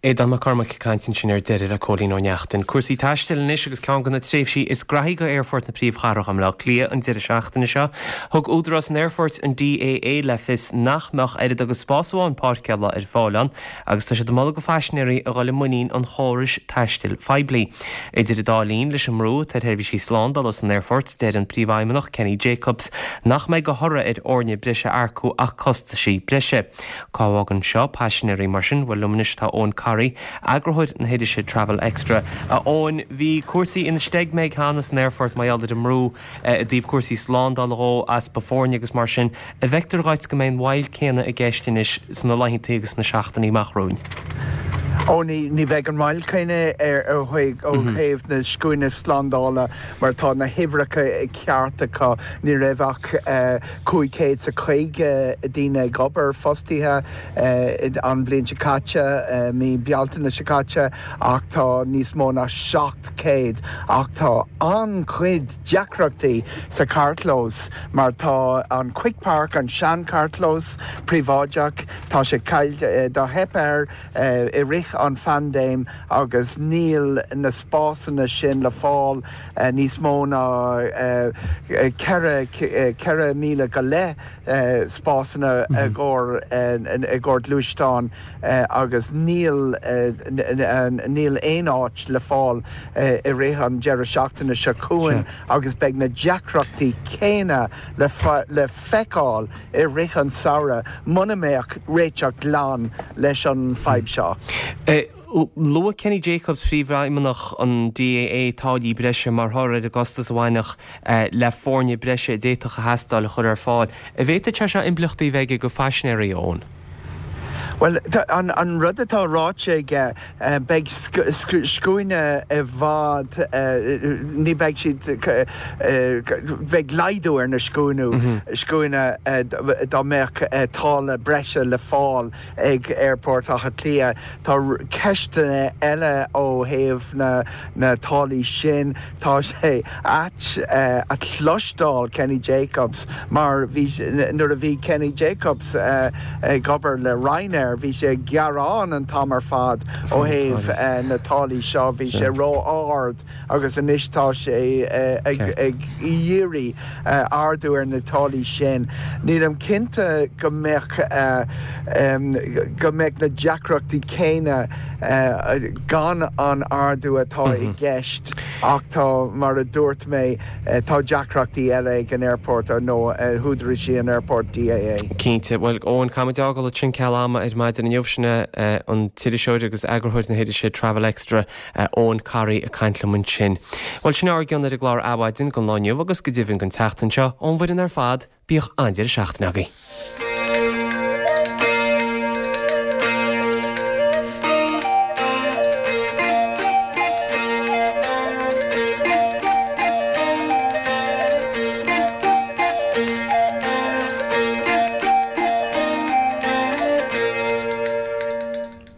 Aodán Mac Cormaic ag caint ansin ar deireadh le Cóilín Ó Neachtain. Cúrsaí taistil anois agus ceann de na tréimhsí is graithí go Aerfort na príomhchathrach i mBleá Cliath an deireadh seachtaine seo. Thug údarás an aerfoirt, an DAA, le fios nach mbeadh oiread agus spás amháin páirceála ar fáil ann agus tá siad ag moladh go phaisinéirí a dhul i muinín an chórais taistil phoiblí. Idir an dá linn, leis an mbrú atá ar sheirbhísí slándála san aerfort, deir an Príomhfheidhmeannach Kenny Jacobs nach mbeidh de thoradh ar fhoirne breise a earcú ach costaisí breise. Cá bhfágann seo paisinéirí mar sin? Bhuel, liom anois tá Eoin Corry, eagarthóir na hirise Travel Extra. A Eoin, bhí cúrsaí ina steig-meig cheana san aerfort mar gheall ar an mbrú i dtaobh cúrsaí slándála dhó, easpa foirne agus mar sin. An bhfeictear dhuit go mbeidh an mhoill céanna i gceist anois sna laethanta agus sna seachtainí amach romhainn? Ó, ní bheidh an mhoill chéanna ó thaobh na scuaine slándála mar tá na huimhreacha ceart acu. Ní raibh ach 500 's a 50 daoine ag obair, fostaithe, an bhliain seo caite, mí Bealtaine seo caite, ach tá níos mó ná 700. Ach tá an-chuid deacrachtaí sa charrchlós mar tá an Quick Park, an sean-charrchlós príobháideach, tá sé caillte, do theip air i rith an phaindéim agus níl na spásanna sin le fáil. níos mó ná 4,000 go leith spásanna i gcomhair gluaisteán agus níl níl aon áit le fáil i rith an deireadh seachtaine seo chugainn agus beidh na deacrachtaí céanna le feiceáil i rith an samhradh muna mbeadh réiteach glan leis an fadhb seo. Luaigh Kenny Jacobs, Príomhfheidhmeannach an DAA, táillí breise mar thoradh ar an gcostas a bhainfeadh le foirne breise a d'fhéadfadh a theastáil a chur ar fáil. An bhféadfadh sé seo impleachtaí a bheith aige go phaisinéirí, a Eoin? Bhuel, an rud atá ráite aige, beidh scuaine i bhfad, ní bheidh siad, beidh laghdú ar na scuaine dá mbeadh táille breise le fáil ag Aerfort Átha Cliath. Tá ceisteanna eile ó thaobh na táillí sin. Tá sé ait a chloisteáil Kenny Jacobs mar bhí, nuair a bhí Kenny Jacobs ag obair le Ryanair, bhí sé ag gearán an t-am ar fad ó thaobh na táillí seo, bhí sé ró-ard. agus anois tá sé ag iarraidh ardú ar na táillí sin. Nílim cinnte go mbeadh go mbeadh na deacrachtaí céanna gan an ardú atá i gceist ach tá, mar a dúirt mé, tá deacrachtaí eile ag an aerfort nó húdaráis an aerfoirt, DAA. Cinnte. Bhuel, Eoin, caithfimid a fhágáil ansin ceal ama ar maidin inniu. Sin é an t-iriseoir agus eagarthóir na hirise Travel Extra, Eoin Corry ag caint liom ansin. Bhuel, sin ár gcion ar an gclár Adhmhaidin don lá inniu agus go deimhin don tseachtain seo, ón bhfoireann ar fad, bíodh an-deireadh seachtaine agaibh.